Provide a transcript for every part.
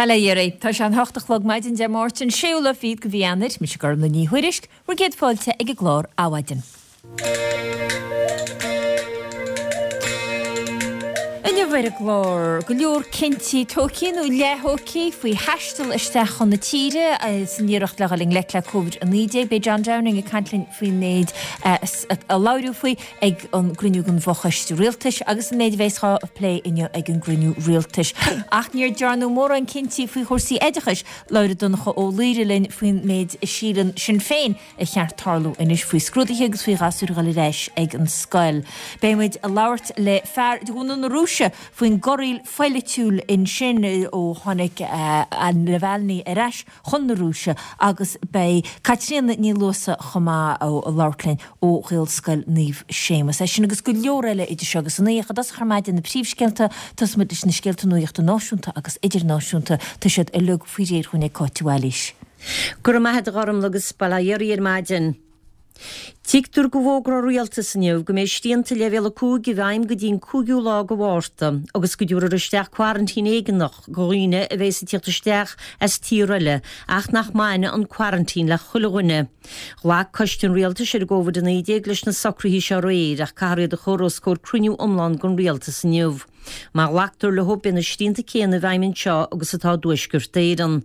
Bail ó Dhia oraibh. Tá sé an hocht a chlog maidin Dé Máirt an séú lá fichead de mhí Eanáir. Mise Gormlaith Ní Thuairisg, bhur gcéad fáilte ag an gclár Adhmhaidin. Inniu ar an gclár, go leor cinntí tógtha nó leath-thógtha faoi thaisteal isteach chun na tíre san iarracht le dhul i ngleic le Covid-19. Beidh John Downing ag caint linn faoin méid a labhraíodh faoi ag an gcruinniú den bhFochoiste Rialtais agus an méid a bheas á phlé inniu ag an gcruinniú Rialtais. Ach níor dearnadh mórán cinntí faoi chúrsaí oideachais. Labhróidh Donncha Ó Laoghaire linn faoin méid a síleann Sinn Féin a cheart tarlú anois faoi scrúduithe agus faoi ghasúir a dhul ar ais ag an scoil. Beidh muid ag labhairt le fear de bhunadh na Rúise faoin gcorraíl phoilitiúil ansin ó tháinig Navalny ar ais chun na Rúise agus beidh Caitríona Ní Luasa chomh maith ag labhairt linn ó Ghaelscoil Naomh Séamus. É sin agus go leor eile idir seo agus a naoi. Ach i dtosach ar maidin na príomhscéalta, tosóidh muid leis na scéalta nuachta náisiúnta agus idirnáisiúnta. Tá siad uilig faoi réir dhúinn ag Cáit de Bhailís. Go raibh maith a't a Ghormlaith agus bail ó Dhia oraibh ar maidin. Tuigtear go bhfógróidh an Rialtas inniu go mbeidh srianta leibhéal 5 i bhfeidhm go dtí an 5ú lá de Mhárta agus go dtabharfar isteach quarantine éigeanach do dhaoine a bheas ag tíocht isteach as tír eile ach nach mbainfidh an quarantine le chuile dhuine. Ghlac Coiste an Rialtais ar an gCovid-19 leis na socruithe seo aréir ach caithfear iad a chur os comhair cruinniú iomlán den Rialtas inniu. Má ghlactar leo beidh na srianta céanna i bhfeidhm anseo agus atá i dTuaisceart Éireann.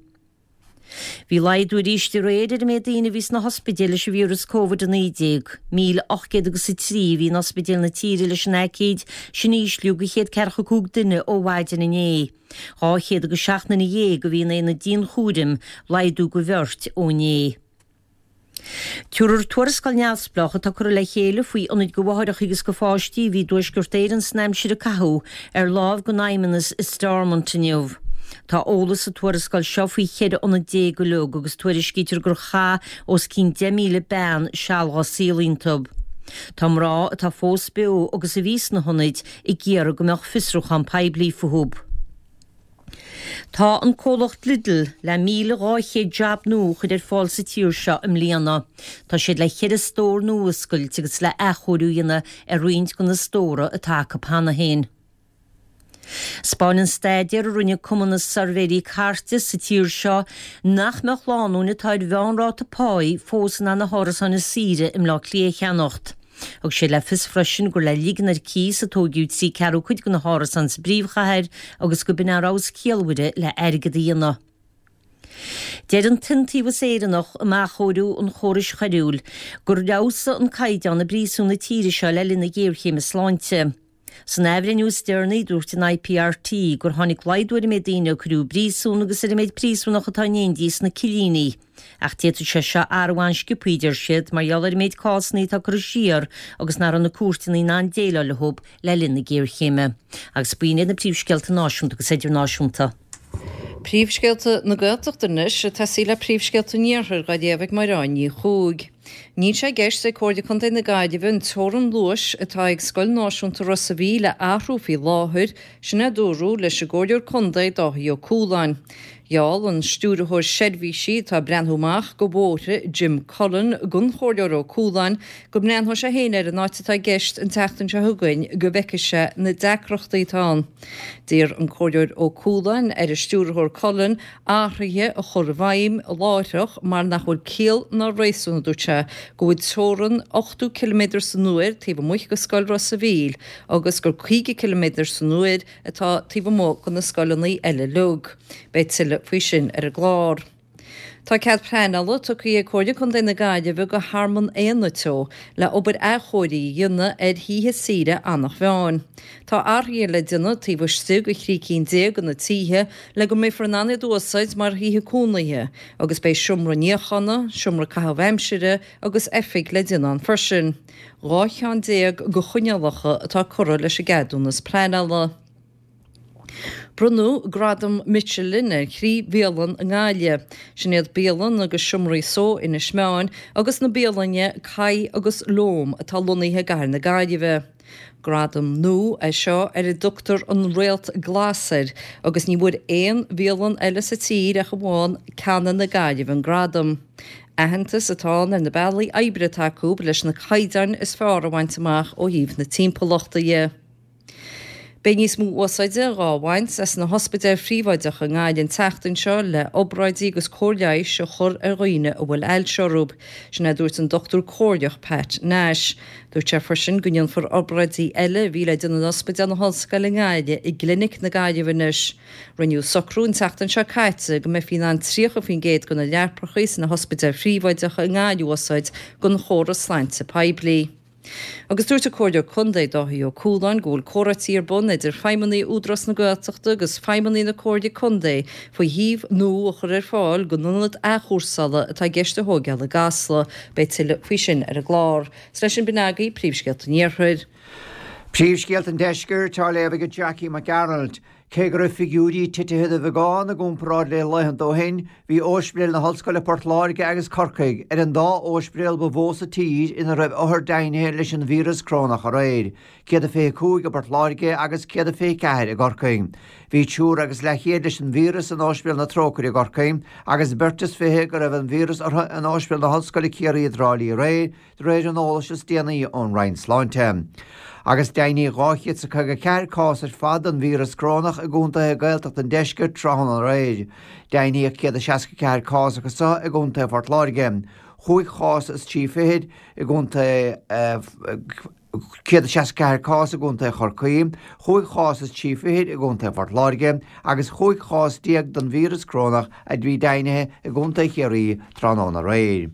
Bhí laghdú arís aréir ar an méid daoine a bhí sna hospidéil leis an víreas Covid-19. 1,800 agus 3 a bhí in ospidéil na tíre leis an aicíd, sin ísliú de chéad ceathracha 5 duine ó mhaidin inné. 200 agus 7 nduine a bhí in aonad dianchúraim, laghdú de bheirt ó inné. Tabharfar tuarascáil neamhspleách atá curtha le chéile faoi ionaid do mháithreacha agus do pháistí a bhí i dTuaisceart Éireann san aimsir a caitheadh ar láimh don Fheidhmeannas i Stormont inniu. Tá eolas sa tuarascáil seo faoi 14 ionad uilig agus tuairiscítear gur chaith os cionn 10,000 bean seal dhá saol iontu. Tá mná atá fós beo agus a bhí sna hionaid ag iarraidh go mbeadh fiosrúchán poiblí fúthu. Tá an comhlacht Lidl le 1,200 jab nua a chur ar fáil sa tír seo i mbliana. Tá siad le cheithre stór nua a oscailt agus le athchóiriú a dhéanamh ar roinnt de na stóra atá acu cheana féin. 'Spáineann staidéar a rinne Cumann na Suirbhéirí Cairte sa tír seo nach mbeadh lánúin atá ar mheánráta páí fós in ann na hárasáin is saoire i mBleá Cliath a cheannacht. Thug sé le fios freisin gur le ligean ar cíos a tóigeadh trí ceathrú cuid de na hárasáin sa bpríomhchathair agus go b'in an rogha is ciallmhaire le airgead a dhéanamh. Deir an tIontaobhas Éireannach um Athchóiriú an Chórais Choiriúil gur fheabhsaigh an caighdeán i bpríosúin na tíre seo le linn na géarchéime sláinte. San athbhreithniú is deireanaí, dúirt an IPRT gur tháinig laghdú ar an méid daoine a cuireadh i bpríosún agus ar an méid príosúnach atá in éindí sna cillíní. Ach d'fhéadfadh sé seo athrú an-sciobthaí, a deir siad, mar gheall ar an méid cásanna atá curtha siar agus nach raibh na cúirteanna in ann déileáil leo le linn na géarchéime. Agus b'in iad na príomhscéalta náisiúnta agus idirnáisiúnta. Príomhscéalta na Gaeltachta anois, ag tosaí le príomhscéalta an Iarthair dhá léamh ag Mairéad Ní Chuaig. Níl sé i gceist ag Comhairle Contae na Gaillimhe an teorainn luais atá ag Scoil Náisiúnta Ros a' Mhíl a athrú faoi láthair, sin a dúradh leis an gComhairleoir Contae Dáithí Ó Cualáin. Gheall an Stiúrthóir Seirbhísí atá ag breathnú amach go bhóithre, Jim Cullen, don Chomhairleoir Ó Cualáin go mbreathnóidh sé féin ar an áit atá i gceist an tseachtain seo chugainn go bhfeicfidh sé na deacrachtaí atá ann. D'iarr an Comhairleoir Ó Cualáin ar an Stiúrthóir Cullen athruithe a chur i bhfeidhm láithreach mar nach bhfuil ciall ná réasún, a dúirt sé, go bhfuil teorainn 80 ciliméadar san uair taobh amuigh de scoil Ros a' Mhíl agus gur 50 ciliméadar san uair atá taobh amuigh de na scoileanna eile uilig. Beidh tuilleadh faoi sin ar an gclár. Tá cead pleanála tugtha ag Comhairle Contae na Gaillimhe go Thearmann Éanna Teo le obair athchóirithe a dhéanamh ar thithe saoire Eanach Mheáin. Tá athruithe le déanamh taobh istigh de thrí cinn de na tithe le go mbeifear in ann iad a úsáid mar thithe cónaithe agus beidh seomra níochána, seomra caitheamh aimsire agus oifig le déanamh ann freisin. 12 cheann de choinníollacha atá curtha leis an gceadúnas pleanála. Bronnadh Gradam Michelin ar thrí bhialann i nGaillimh. Sin iad bialann agus seomraí só Inis Meáin agus na bialainne Kai agus Loam atá lonnaithe i gcathair na Gaillimhe. Gradam nua é seo ar a dtugtar an Réalt Glas air agus ní bhfuair aon bhialann eile sa tír ach amháin Canna na Gaillimhe an gradam. Aitheantas atá ann ar na bealaí oibre atá acu leis na caighdeáin is fearr a bhaint amach ó thaobh na timpeallachta dhe. Beidh níos mó úsáide dhá bhaint as na hospidéil phríobháideacha i nGaillimh an tseachtain seo le obráidí agus cóir leighis a chur ar dhaoine a bhfuil ailse orthu. Sin é a dúirt an dochtúir comhairleach Pat Nash. Dúirt sé freisin go ndéanfar obráidí eile a bhí le déanamh in Ospidéal na hOllscoile i nGaillimh i gClinic na Gaillimhe anois. Rinneadh socrú an tseachtain seo caite go mbeifí in ann 30% de na leapacha sna hospidéil phríobháideacha i nGaillimh a úsáid don chóras sláinte poiblí. Agus dúirt an Comhairleoir Contae Dáithí Ó Cualáin go bhfuil comhráití ar bun idir feidhmeannaigh Údarás na Gaeltachta agus feidhmeannaigh na Comhairle Contae faoi shuíomh nua a chur ar fáil don ionad athchúrsála atá i gceist a thóigeáil i gCasla. Beidh tuilleadh faoi sin ar an gclár. Is leis sin b'in agaibh príomhscéalta an Iarthair. Príomhscéalta an Deiscirt á léamh ag Jackie Mac Gearailt. Cé go raibh figiúirí titithe de bheagán i gcomparáid le laethanta ó shin, bhí Óispidéil na hOllscoile Port Láirge agus Corcaigh ar an dá óispidéal ba mhó sa tír ina raibh othair deimhnithe leis an víreas corónach aréir, 125 i bPort Láirge agus 124 i gCorcaigh. Bhí triúr agus leathchéad leis an víreas in Óispidéal na Trócaire i gCorcaigh agus beirt is fiche go raibh an víreas orthu in Óispidéal na hOllscoile Ciarraí i dTrá Lí aréir, De réir an eolais is déanaí ón Roinn Sláinte, agus deimhníodh 254 cás ar fad den víreas corónach i gcontaetha Gaeltachta an deiscirt tráthnóna aréir. Deimhníodh 164 cás acu seo i gcontae Phort Láirge, chúig chás is trí fichid i gcontae 164 cás i gcontae Chorcaí, chúig chás is trí fichid i gcontae Phort Láirge agus chúig chás déag den víreas corónach a bhí deimhnithe i gcontae Chiarraí tráthnóna aréir.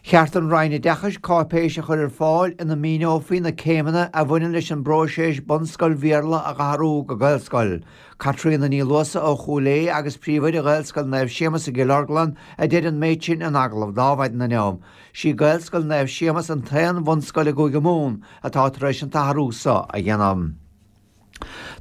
Cheart don Roinn Oideachais cáipéis a chur ar fáil ina míneofaí na céimeanna a bhaineann leis an bpróiseas bunscoil Bhéarla a dh'athrú go Gaelscoil. Caitríona Ní Luasa ó Chúil Aodha agus príomhoide Ghaelscoil Naomh Séamus i gCill Orglan a deir an méid sin in agallamh d'Adhmhaidin inniu. Sí Gaelscoil Naomh Séamus an t-aon bhunscoil i gCúige Mumhan atá tar éis an t-athrú so a dhéanamh.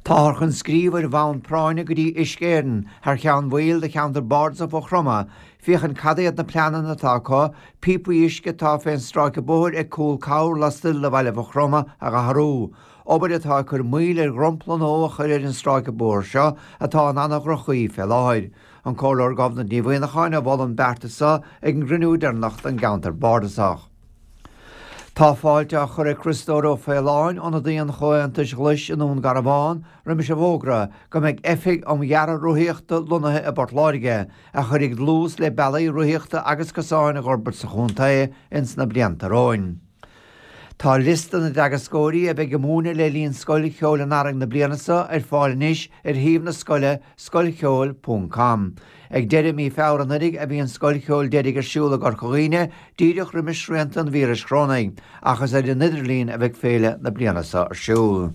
Táthar chun scríobh ar bhonn práinne go dtí Uisce Éireann thar cheann bhaill de cheantar bardasach Mhaigh Chromtha féachaint cad iad na pleananna atá acu píopaí uisce atá fén stráice bóthair ag Cúl Cabhair lastoir de bhaile Mhaigh Chromtha a dh'athrú, obair atá ag cur moill ar dhromchla nua a chur ar an stráice bóthair seo atá in ana-dhroch-chaoi fé láthair. An Comhairleoir Gobnait Ní Mhuineacháin a mhol an beartas seo ag an gcruinniú deireanach den gceantar bardasach. Tá fáilte á chur ag Criostóir Ó Faoláin, ionadaí an Chomhaontais Ghlais i nDún Garbhán, roimis an bhfógra go mbeidh oifig um dhearadh rothaíochta lonnaithe i bPort Láirge, a chuirfidh dlús le bealaí rothaíochta agus cosáin a dh'fhorbairt sa chontae ins na blianta romhainn. Tá liosta na dteagascóirí a bheidh ag múineadh le linn Scoil Cheoil an Earraigh na bliana seo ar fáil anois ar shuíomh na scoile scoilcheoil ponc com. Ag deireadh mí Feabhra anuraidh a bhí an Scoil Cheoil deiridh ar siúl i gCorca Dhuibhne, díreach roimis srianta an víris chorónaigh, ach is ar an idirlíon a bheidh féile na bliana seo ar siúl.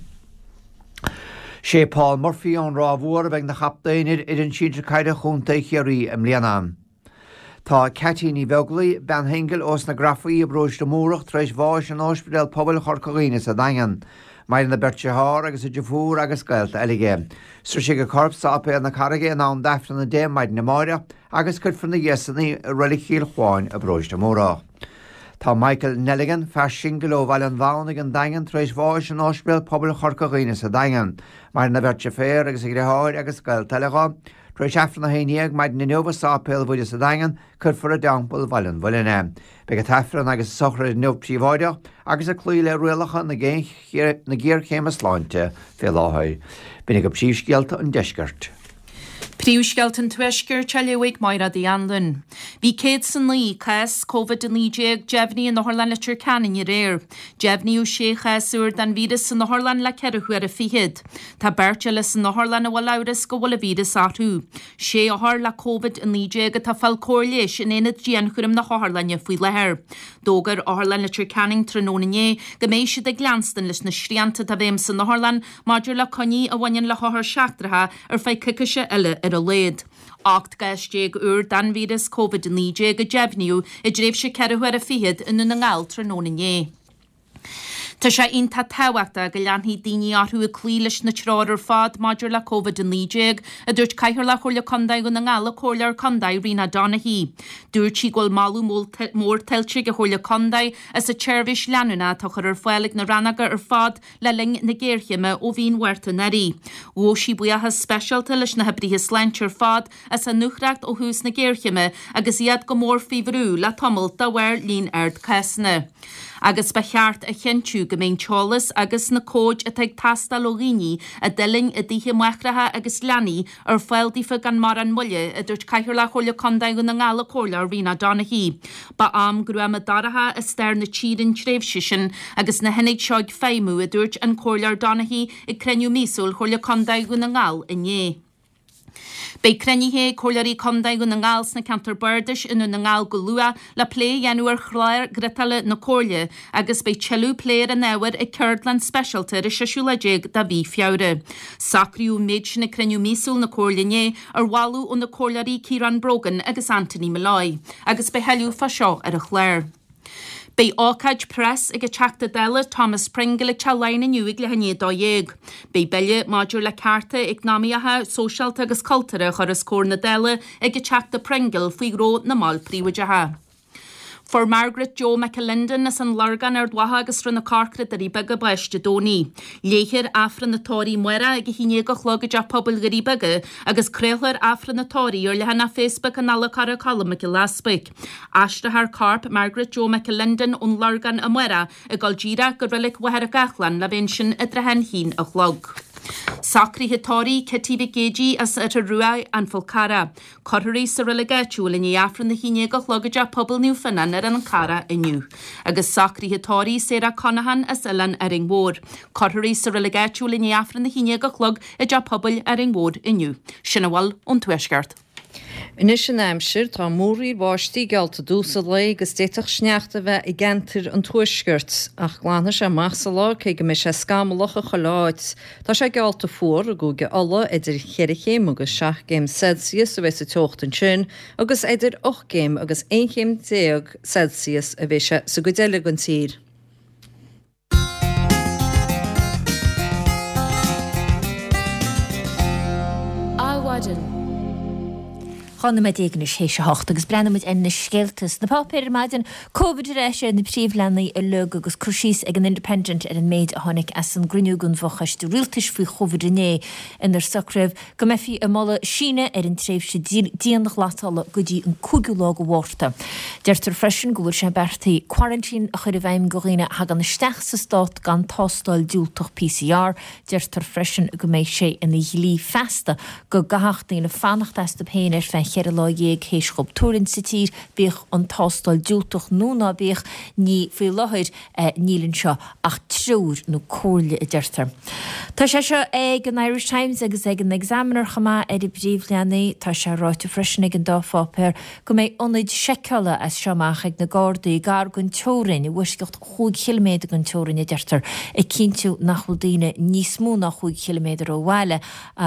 Sé Paul Murphy ón Ráth Mhór a bheidh 'na chaptaen ar fhoireann sinsir caide Chontae Chiarraí i mbliana. Tá Ceaití Ní Bheaglaoi, bean shingil ós na Grafaí i bparóiste Múrach tar éis bháis in Óispidéal Pobail Chorca Dhuibhne sa Daingean. Maireann a beirt dearthár agus a deirfiúr agus gaolta eile aici. Sroisfidh a corp Sáipéal na Carraige in am d'Aifreann a 10 maidin amáireach agus cuirfear ina dhiaidh san í i Reilig Chill Chuáin i bparóiste Múrach. Tá Michael Nelligan, fear singil ó Bhaile an Mhamhnaigh an Daingean tar éis bháis in Óispidéal Pobail Chorca Dhuibhne sa Daingean. Maireann a bheirt deirféar agus a dheartháir agus gaolta eile dho. Tar éis Aifreann 11 maidin inniu i Sáipéal Mhuire sa Daingean, cuirfear i dTeampall Bhaile an Mhuilinn é. Beidh an t-Aifreann agus an sochraid inniu príobháideach agus ag cloí le rialacha na géarchéime sláinte fé láthair. B'in agaibh príomhscéalta an deiscirt. Príomhscéalta an Tuaiscirt á léamh ag Máire Uí Anluain. Bhí 109 cás Covid-19 deimhnithe in Otharlann Leitir Ceanainn aréir. Deimhníodh sé chás úr den víreas san otharlann le ceithre huaire fichead. Tá beirt eile san otharlann a bhfuil amhras go bhfuil an víreas orthu. Sé othar le Covid-19 atá ag fáil cóir leighis in aonad dianchúraim na hotharlainne faoi láthair. D'fhógair Otharlann Leitir Ceanainn tráthnóna inné go mbeidh siad ag leanstan leis na srianta atá i bhfeidhm san otharlann maidir le coinní a bhaineann le hothair seachtracha ar feadh coicíse eile ar a laghad. 18 gcás úr den víreas Covid-19 a deimhníodh i dtréimhse ceithre huaire fichead i nDún na nGall tráthnóna inné. Tá sé iontach tábhachtach go leanfaidh daoine orthu ag cloí leis na treoir ar fad maidir le Covid-19, a dúirt Cathaoirleach Chomhairle Contae Dhún na nGall, an Comhairleoir Contae Rena Donaghey. Dúirt sí go bhfuil moladh mór tuillte ag an Chomhairle Contae as an tseirbhís leanúnach atá á chur ar fáil ag na rannóga ar fad le linn na géarchéime ó mhí an Mhárta anuraidh. Ghabh sí buíochas speisialta leis na hoibrithe sláinte ar fad as a ndúthracht ó thús na géarchéime agus iad go mór faoi bhrú le tamall de bharr líon ard cásanna. Agus ba cheart a chinntiú. chinntiú go mbeidh an t-eolas agus na comhaid atá ag teastáil ó dhaoine a d'fhuilaing i dtithe máithreacha agus leanaí ar fáil daofa gan mórán moille, a dúirt Cathaoirleach Chomhairle Contae Dhún na nGall an Comhairleoir Rena Donaghey. Ba am gruama dorcha i stair na tíre an tréimhse sin agus na hionaid seo ag feidhmiú, a dúirt an Comhairleoir Donaghey ag cruinniú míosúil Chomhairle Contae Dhún na nGall inné. Beidh cruinnithe ag Comhairleoirí Contae Dhún na nGall sna ceantair bardais i nDún na nGall go luath le plé a dhéanamh ar chlár griotála na Comhairle agus beidh tuilleadh plé ar an ábhar ag ceardlann speisialta ar an seisiú lá déag de mhí Feabhra. Socraíodh an méid sin ag cruinniú míosúil na Comhairle inné ar mholadh ó na Comhairleoirí Ciarán Brogan agus Anthony Molloy agus beidh thuilleadh fá seo ar an chlár. Beidh ócáid preas ag an Teachta Dála Thomas Pringle ag Teach Laighean inniu ag leath i ndiaidh 12. Beidh bille maidir le cearta eacnamaíocha, sóisialta agus cultúrtha a chur os comhair na Dála ag an Teachta Pringle faoi ró na mball príobháideacha. Fuair Margaret Joe McAlinden as an Lorgain, Ard Mhacha agus Srath na Corcra, Doirí Beaga bás Dé Domhnaigh. Léifear Aifreann an Tórraimh amárach ag 11 a chlog i dTeach Pobail Dhoirí Beaga agus craolfar Aifreann an Tórraimh ar leathanach Facebook an Fhála Carraig Cholm Mhic Giolla Easpaig. Aistreofar corp Margaret Joe McAlinden ón Lorgain amárach ag dul díreach go Reilig Mhachaire Gathlán le bheith ansin i dtrátha an haon a chlog. Socruithe tórraimh Kitty Mhic Géidigh as Oirthear Ruaidh, An Fál Carrach. Cuirfear í sa reilig áitiúil i ndiaidh Aifreann a 11 a chlog i dTeach Pobail Naomh Fionnán ar an Charrach inniu. Agus socruithe tórraimh Sarah Conaghan as Oileán Árainn Mhór. Cuirfear í sa reilig áitiúil i ndiaidh Aifreann a 11 a chlog i dTeach Pobail Árainn Mhór inniu. Sin a bhfuil ón Tuaisceart. Anois an aimsir, tá múraíl bháistí geallta i dtús an lae agus d'fhéadfadh sneachta a bheith i gceantair an tuaiscirt. Ach glanfaidh sé amach sa lá cé go mbeidh sé scamallach i chuile áit. Tá sé geallta fuar i gCúige Uladh, idir cheithre chéim agus seacht gcéim Celsius a bheidh sa teocht ansin agus idir ocht gcéim agus 11 chéim Celsius a bheidh sé sa gcuid eile den tír. Adhmhaidin. 12 nóiméad anois théis a hocht agus breathnóidh muid ar na scéalta sna páipéir ar maidin. Covid ar ais ar na príomhleathanaigh uilig agus cur síos ag an Independent ar an méid a tháinig as an gcruinniú den bhfochoiste rialtais faoi Chovid inné inar socraíodh go mbeifí ag moladh síneadh ar an tréimhse dianghlasála go dtí an cúigiú lá de Mhárta. Deirtear freisin go bhfuil sé beartaithe quarantine a chur i bhfeidhm do dhaoine a thagann isteach sa stát gan tástáil diúltach PCR. Deirtear freisin go mbeidh sé ina dhlí feasta go gcaithfeadh daoine fanacht astu féin ar feadh cheithre lá dhéag théis dhóibh tuirlingt sa tír, bíodh an tástáil diúltach nó ná bíodh. Ní faoi láthair. Níl anseo ach treoir nó comhairle, a deirtear. Tá sé seo ag an Irish Times agus ag an Examiner chomh maith ar a bpríomhleathanaigh. Tá sé ráite freisin ag an dá pháipéar go mbeidh ionaid seiceála as seo amach ag na Gardaí gar don teorainn, i bhfoisceacht chúig chiliméadar den teorainn, a deirtear, ag cinntiú nach bhfuil daoine níos mó ná chúig chiliméadar ó bhaile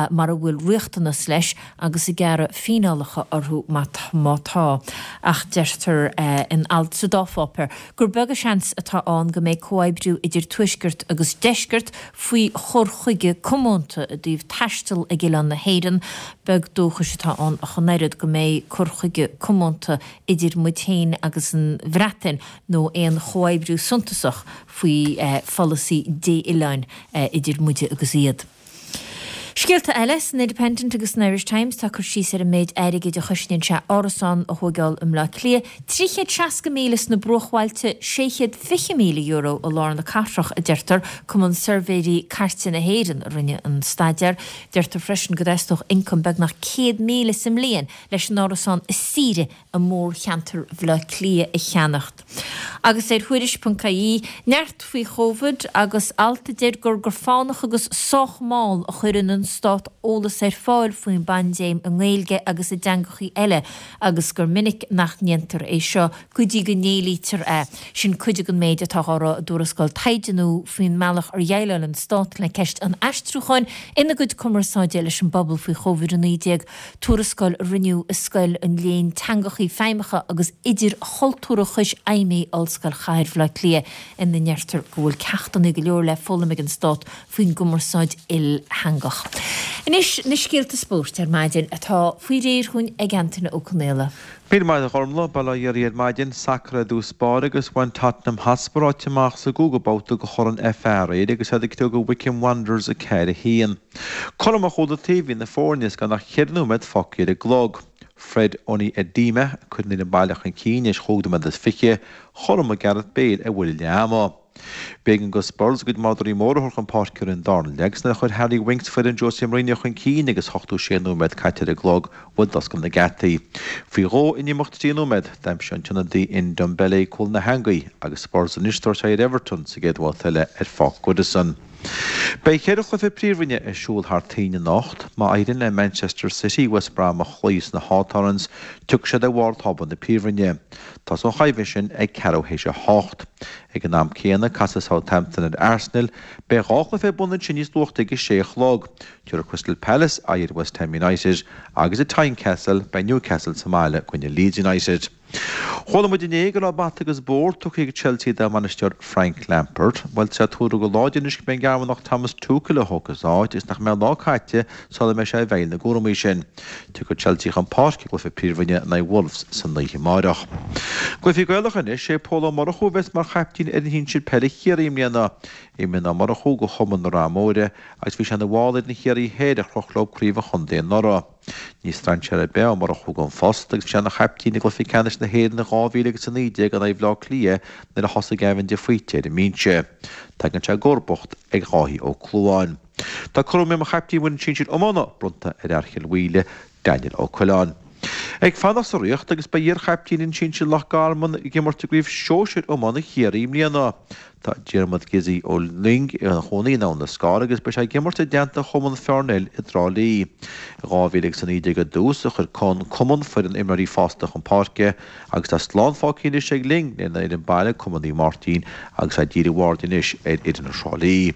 mara bhfuil riachtanas leis agus ag gearradh fíneálacha orthu má tá. Ach deirtear in alt sa dá pháipéar gur beag an seans atá ann go mbeidh comhoibriú idir Tuaisceart agus Deisceart faoi chur chuige comónta i dtaobh taisteal ag oileán na hÉireann. Beag dóchais atá ann ach an oiread go mbeidh cur chuige comónta idir muid féin agus an Bhreatain nó aon chomhoibriú suntasach faoi pholasaí dé-oileáin idir muide agus iad. Scéalta eile, san Independent agus san Irish Times tá cur síos ar an méid airgid a chosnaíonn sé árasán a thóigeáil i mBleá Cliath, 360,000 sna bruachbhailte, €620,000 i lár na cathrach, a deirtear. Cumann Suirbhéirí Cairte na hÉireann a rinne an staidéar. Deirtear freisin go dteastódh ioncam beagnach 100,000 sa mbliain leis an árasán is saoire i mórcheantar Bhaile Átha Cliath a cheannacht. Agus ar Thuairisc.ie, neart faoi Chóvid agus alt a deir gur go fánach agus sách mall a chuireann an stát eolas ar fáil faoin bpaindéim i nGaeilge agus i dteangachaí eile agus gur minic nach ndéantar é seo go dtí go n-éilítear é. Sin cuid den méid atá á rá i dtuarascáil taighde nua faoin mbealach ar dhéileáil an stát le ceist an aistriúcháin ina gcuid cumarsáide leis an bpobal faoi Chóvid-19. Tuarascáil a rinneadh i Scoil an Léinn Teangachaí Feidhmeacha agus Idirchultúrtha Cois Fheidhmigh, Ollscoil Chathair Bhaile Átha Cliath, ina ndeirtear go bhfuil ceachtanna go leor le foghlaim ag an Stát faoin gcumarsáid ilteangach. Anois na scéalta spóirt ar maidin atá faoi réir dhúinn ag Antaine Ó Conaola. Míle maith agat a Ghormlaith, bail ó Dhia oraibh ar maidin, sacar i dtús báire agus bhain Tottenham Hotspur áit amach sa gcúigiú babhta de Chorn FA aréir agus iad ag criogadh Wycombe Wanderers 4-1. Cothrom ó chúl an taobh a bhí na foirne is gan ach cheithre nóiméad fágtha ar an gclog. Fred Onyedinma ag cur an fhoireann baile chun cinn théis chúig nóiméad is fiche, chothromaigh Gareth Bale ar bhuille leath ama. B'éigean do Spurs a gcuid madraí móra a thabhairt chun páirce ar an darna leath agus nuair a chuir Harry Winks foireann Jose Mourinho chun cinn agus 86 nóiméad caite ar an gclog, bhuail doscar na geataí. Faoi dhó in imeacht 3 nóiméad, d'aimsigh an t-ionadaí Ndombele cúl na heangaí agus Spurs anois ag tabhairt aghaidh ar Everton sa gcéad bhabhta eile ar Pháirc Goodison. Beidh cheithre chluiche Príomhroinne ar siúl thar toinn anocht. Má éiríonn le Manchester City West Brom a chloí sna Hawthorns, tiocfaidh siad ar bharr tábla na Príomhroinne. Tosóidh an choimhlint sin ag ceathrú théis a hocht. Ag an am céanna, casfaidh Southampton ar Arsenal. Beidh dhá chluiche ar bun ansin níos luaithe ag a sé a chlog. Tabharfaidh Crystal Palace aghaidh ar West Ham United agus i Tynecastle beidh Newcastle sa mbaile i gcoinne Leeds United. Chuala muid inné go raibh bata agus bord tugtha ag Chelsea dá mbainisteoir Frank Lampard. Bhuel tá sé tuartha go láidir anois go mbeidh an Gearmánach Thomas Tuchel a thógfaidh a áit agus nach mbeidh lá caite sula mbeidh sé i bhfeighil na gcúramaí sin. Tiocfaidh Chelsea chun páirce i gcluiche Príomhroinne in aghaidh Wolves san oíche amáireach. Cluichí Gaelacha anois, sé Pól Ó Murchú a bheas mar chaiptín ar fhoireann shinsir peile Chiarraí i mbliana. Imríonn Ó Murchú do chumann na Rátha Móire agus bhí sé ina bhall d'fhoireann Chiarraí Thoir a chroch leo Craobh an Chontae anuraidh. Ní strainséir ar bith é Ó Murchú don phost agus bhí sé ina chaiptín i gcluiche ceannais na hÉireann in 2019 in aghaidh Bhaile Átha Cliath nuair a thosaigh Gavin de Faoite ar an mbinse. Tagann sé i gcomharbacht ar Dháithí Ó Clúmháin. Tá cúram mar chaiptín fhoireann sinsir iomána bronnta ar fhear Chill Mhaoile, Daniel Ó Coileáin. Ag fanacht sa Ríocht agus beidh iar-chaiptín fhoireann sinsir Loch Garman ag imirt i gcraobh shóisir iomána Chiarraí i mbliana. Tá Diarmuid Gizzy Ó Luing ina chónaí in Abhainn an Scair agus beidh sé ag imirt i dteannta Chumann Fearn Eile i dTrá Lí. I 2019 i dtús a chuir an cumann foireann imreoirí fásta chun páirce agus tá slán fágtha anois ag Ling lena fhoireann baile Cumann Naomh Máirtín agus tá dírithe a aird anois ar fhoireann Thrá Lí.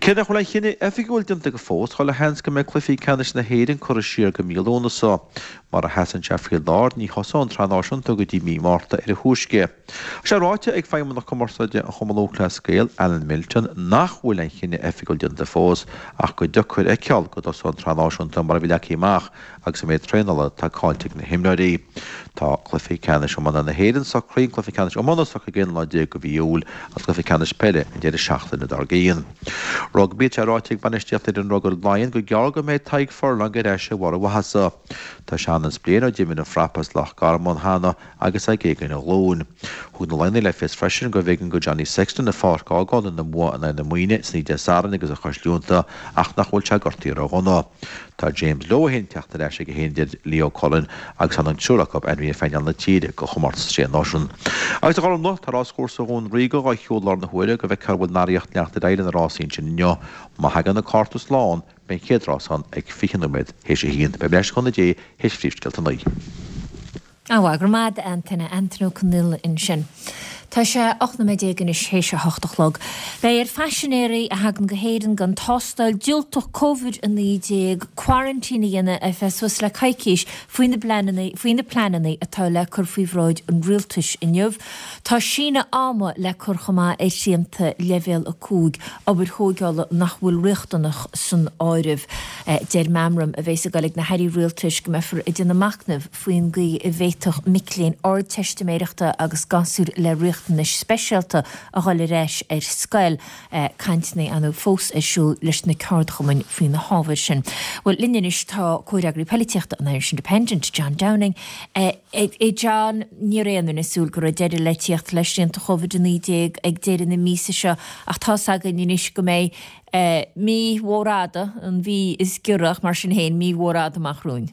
Cé nach bhfuil aon chinneadh oifigiúil déanta go fós, chuile sheans go mbeidh cluichí ceannais na hÉireann curtha siar go mí Lúnasa. Mar a sheasann sé faoi láthair, ní thosóidh an tSraith Náisiúnta go dtí mí Márta ar a thúisce. Tá sé ráite ag Feidhmeannach Cumarsáide an Chumann Lúthchleas Gael, Alan Milton, nach bhfuil aon chinneadh oifigiúil déanta fós ach gur deacair a fheiceáil go dtosóidh an tSraith Náisiúnta mar a bhí leagtha amach agus an méid traenála atá caillte ag na himreoirí. Tá cluiche ceannais iomána na hÉireann socraithe, an cluiche ceannais iomána socraithe don 11 lá de mhí Iúil agus cluiche ceannais peile an deireadh seachtaine dár gcionn. Rugbaí, tá sé ráite ag bainistíocht fhoireann rugair Laighean gur gearr go mbeidh Tadhg Furlong ar ais ar bharr a mhaitheasa. Tá sé ann is bliain ó d'imir an Frapa as Loch Garman cheana agus é ag éaga ina ghlúin. Thug na Laighnigh le fios freisin gurbh éigean do Johnny Sexton an pháirc a fhágáil ina mbua in aghaidh na Muimhne san oíche Dé Sathairn agus a chois líonta ach nach bhfuil sé gortaithe ródhona. Tá James Lowe féin ag teacht ar ais aige féin a deir Leo Cullen agus tá an triúr acu ainmnithe ag painéal na tíre do chomórtas Sé Náisiún. Agus a Ghormfhlaith, tá ráschúrsa Dhún Ríoga dhá shiúl i láthair na huaire go bhfeicfear an bhfuil an earraíocht ag leanacht ar aghaidh le na rásaí ansin inniu. Má thagann na cárta slán, beidh an chéad rás ann ag 20 nóiméad théis a haon. Beidh mé ar ais le cúnamh Dé théis phríomhscéalta a naoi. Á, go raibh maith agat a Antaine, Antaine Ó Conghaile ansin. Tá sé 18 nóiméad anois théis a hocht a chlog. Beidh ar phaisinéirí a thagann go hÉirinn gan tástáil diúltach Covid-19 quarantine a dhéanamh ar feadh suas le coicís faoi na pleananna faoi na pleananna atá le cur faoi bhráid an rialtais inniu. Tá síneadh ama le cur chomh maith ar shrianta leibhéal 5, obair thóigeála nach bhfuil riachtanach san áireamh. Deir meamram a bheas ag dul ag na hairí rialtais go mbeifear ag déanamh machnaimh faoin gcaoi a bhféadfadh mic léinn Ardteistiméireachta agus gasúir le riachtanais speisialta a dhul ar ais ar scoil. Cainteanna ar ndóigh fós ar siúl leis na ceardchumainn faoi na hábhair sin. Bhuel, linn anois tá comhfhreagraí poilitíochta an Irish Independent, John Downing. A John, ní raibh aon duine ag súil go raibh deireadh le tíocht le srianta Covid-19 ag deireadh na míosa seo ach tá's againn anois go mbeidh mí mhór fhada, an mhí is giorra ach mar sin féin, mí mhór fhada amach romhainn.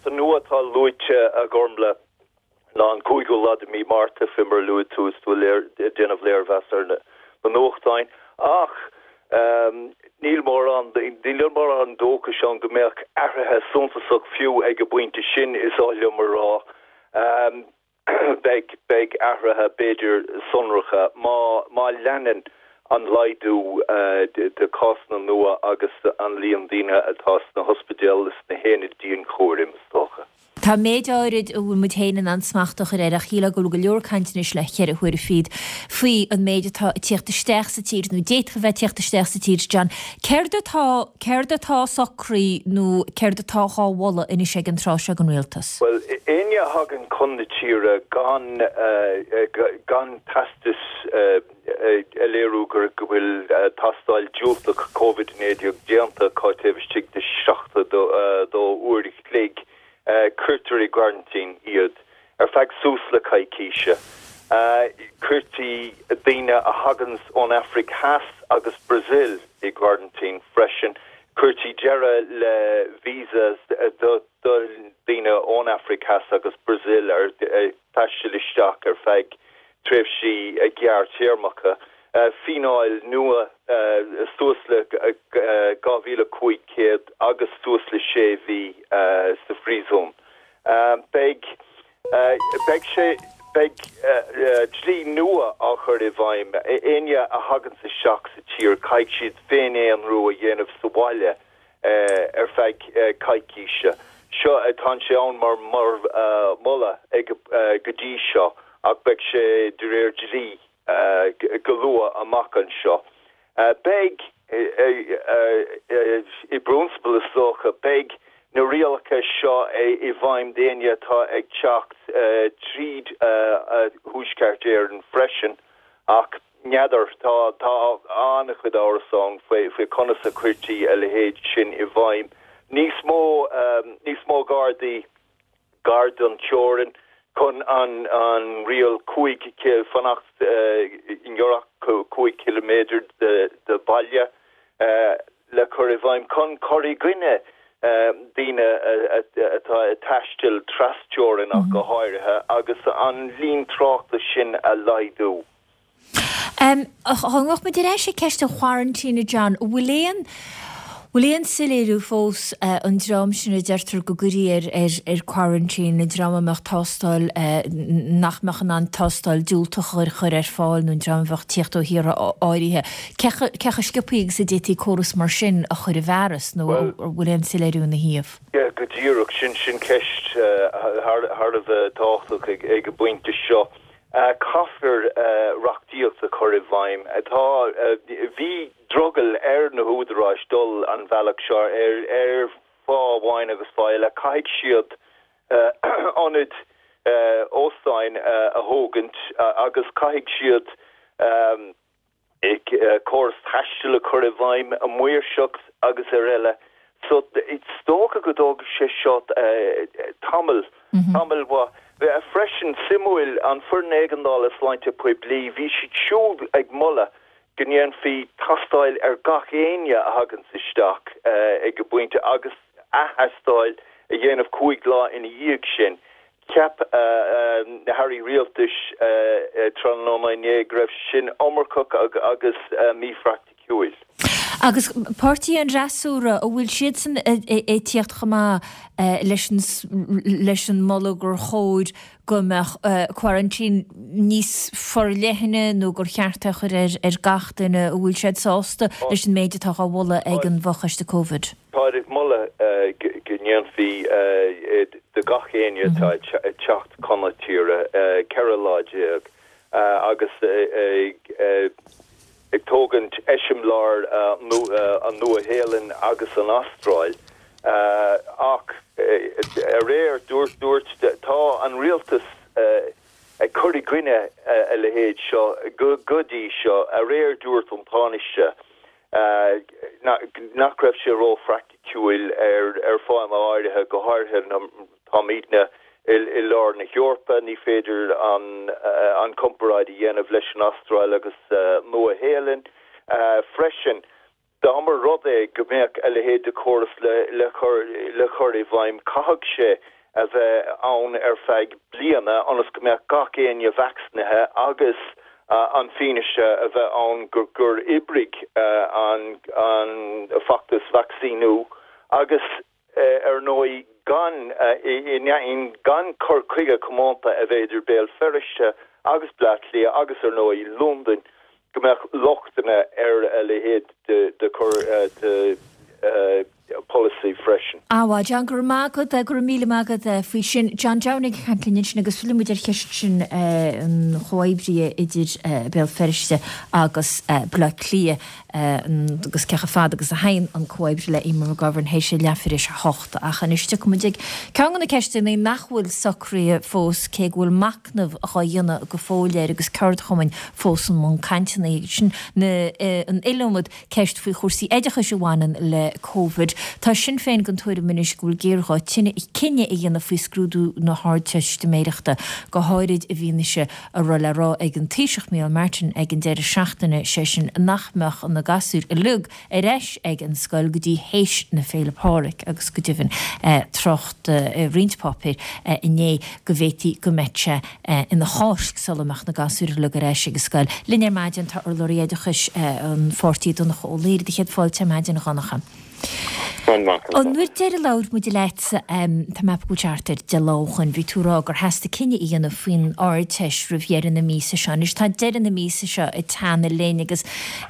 Dáta nua atá luaite, a Ghormfhlaith, ná an cúigiú lá de mhí Márta, fé mar a luaigh tú is tú ag déanamh léirmheas ar na nuachtáin. Ach níl mórán, níl mórán dóchais ann go mbeadh athruithe suntasach fiú ag an bpointe sin, is oth liom a rá. Beidh, beidh athruithe, b'fhéidir, sonracha má, má leanann an laghdú de cásanna nua agus an líon daoine atá sna hospidéil is sna haonaid dianchúraim, is dócha. Tá méid áirid a bhfuil muid féin in ann smacht a chur air ach shílfeá go bhfuil go leor cainte anois le cheithre huaire fichead faoi an méid atá ag tíocht isteach sa tír nó d'fhéadfadh a bheith ag tíocht isteach sa tír, John. Céard atá, céard atá socraithe nó céard atá dhá mholadh anois ag an tráth seo ag an Rialtas? Bhuel, éinne a thagann chun na tíre gan, gan teastas a léiriú go bhfuil tástáil diúltach Covid-19 déanta acu taobh istigh de 72 uair a chloig, cuirtear i gcoraintín iad ar feadh suas le coicíse. Cuirtí daoine a thaganns ón Afraic Theas agus Brazil i gcoraintín freisin. Cuirtí deireadh le visas do daoine ón Afraic Theas agus Brazil ar taisteal isteach ar feadh tréimhsí gearrthéarmacha. Fíneáil nua suas le 2,500 agus suas le sé mhí sa phríosún. Beidh Beidh sé, beidh dlí nua á chur i bhfeidhm. Éinne a thaganns isteach sa tír, caithfidh siad féin-aonrú a dhéanamh sa bhaile ar feadh coicíse. Seo, tá sé ann mar mholadh ag, go dtí seo ach beidh sé de réir dlí go luath amach anseo. Beidh, i bprionsabal is dócha, beidh na rialacha seo i bhfeidhm d'éinne atá ag teacht tríd Thuaisceart Éireann freisin ach n'fheadar, tá an-chuid amhras ann faoi conas a chuirtí a leithéid sin i bhfeidhm. Níos mó, níos mó Gardaí. gar don teorainn chun an riail 5 fanacht i ngiorracht 5 chiliméadar de bhaile le cur i bhfeidhm chun cur i gcoinne daoine atá ag taisteal trasteorann ach go háirithe agus an líon tráchta sin a laghdú. Dá ngabhfadh muid ar ais ag ceist an choraintín, a John, an bhfuil aon, bhfuil aon soiléiriú fós an dream sin a deirtear go gcuirfí ar, ar, ar quarantine, an dream a mbeadh tástáil, nach mbeadh in ann tástáil diúltach a chur ar fáil nó an dream a bheadh ag tíocht ó thíortha áirithe, cé chomh sciobthaí agus a d'fhéadfaí córas mar sin a chur i bhfearas nó an bhfuil aon soiléiriú ina thaobh? Yeah, go díreach, sin, sin ceist thar a bheith tábhachtach ag an bpointe seo. Caithfear reachtaíocht a chur i bhfeidhm. Tá, bhí drogall ar na húdaráis dul an bhealach seo ar fáth amháin agus fáth eile. Caithfidh siad ionaid óstáin a thógaint agus caithfidh siad córas taistil a chur i bhfeidhm, maoirseacht agus ar eile. So is dócha go dtógfaidh sé seo tamall, tamall mhaith. Freisin, suimiúil, an Foireann Éigeandála Sláinte Poiblí, bhí siad siúd ag moladh go ndéanfaí tastáil ar gach éinne a thaganns isteach ag an bpointe agus ath-thástáil a dhéanamh 5 lá ina dhiaidh sin. Cheap na hairí rialtais tráthnóna inné go raibh sé sin iomarcach agus míphraiticiúil. Agus páirtithe an fhreasúra, an bhfuil siadsan ag tíocht chomh maith leis an leis an moladh gur chóir go mbeadh quarantine níos forleithne nó gur cheart é a chur ar gach duine, an bhfuil siad sásta leis an méid atá á mholadh ag an bhfochoiste Covid? Táid ag moladh go ndéanfaí do gach éinne atá ag teacht chun na tíre 14 lá agus ag tógaint eiseamláir an Nua-Shéalainn agus an Astráil. Ach aréir dúirt dúirt tá an rialtas ag cur i gcoinne a leithéid seo go dtí seo. Aréir dúirt an Tánaiste nach raibh sé róphraiticiúil ar fáthanna áirithe, go háirithe táimidne i lár na hEorpa, ní féidir an comparáid a dhéanamh leis an Astráil agus Nua-Shéalainn freisin. Dá mba rud é go mbeadh a leithéid de chóras le cur i bhfeidhm, caithfidh sé a bheith ann ar feadh bliana ionas go mbeadh gach éinne vacsaínithe agus an fianaise a bheith ann gur oibrigh an feachtas vacsaíniú agus, ar ndóigh, gan gan cur chuige comónta a bheith idir Béal Feirste agus Bleá Cliath agus, ar ndóigh, Londain. go mbeadh lochtanna ar a leithéid de chur de pholasaí freisin. Á, John, go raibh maith agat, go raibh míle maith agat faoi sin. John Downing ag caint linn ansin agus fillfidh muid ar cheist sin an chomhoibrithe idir Béal Feirste agus Baile Átha Cliath agus cé chomh fada agus a théann an comhoibriú le Eamon McGovern théis a leathuair théis a hocht. Ach anois tiocfaidh muid ag ceann de na ceisteanna nach bhfuil socraithe fós cé go bhfuil machnamh dhá dhéanamh go fóill air agus ceardchumainn fós i mbun cainteanna. Sin an iliomad ceist faoi chúrsaí oideachais a bhaineann le Covid. Tá Sinn Féin den tuairim anois go bhfuil géarghá cinneadh a dhéanamh faoi scrúdú na hArdteistiméireachta, go háirid i bhfianaise a raibh le rá ag an Taoiseach Micheál Martin ag an deireadh seachtaine, sé sin nach mbeadh na gasúir uilig ar ais ag an scoil go dtí théis na Féile Pádraig agus go deimhin trácht i roinnt páipéir inné go bhféadfaí go mbeadh sé ina Cháisc sula mbeadh na gasúir uilig ar ais ag an scoil. Linn ar maidin tá urlabhraí oideachais an pháirtí Donncha Ó Laoghaire. Do chéad fáilte ar maidin a Dhonncha. An uair deiridh a labhair muid leatsa, tá mé ag ceapadh go bhfuil sé thart ar 10 lá ó shoin, bhí tú ag rá gur theastaigh cinneadh a dhéanamh faoin Ardteist roimh dheireadh na míosa seo. Anois tá deireadh na míosa seo ag teannadh linn agus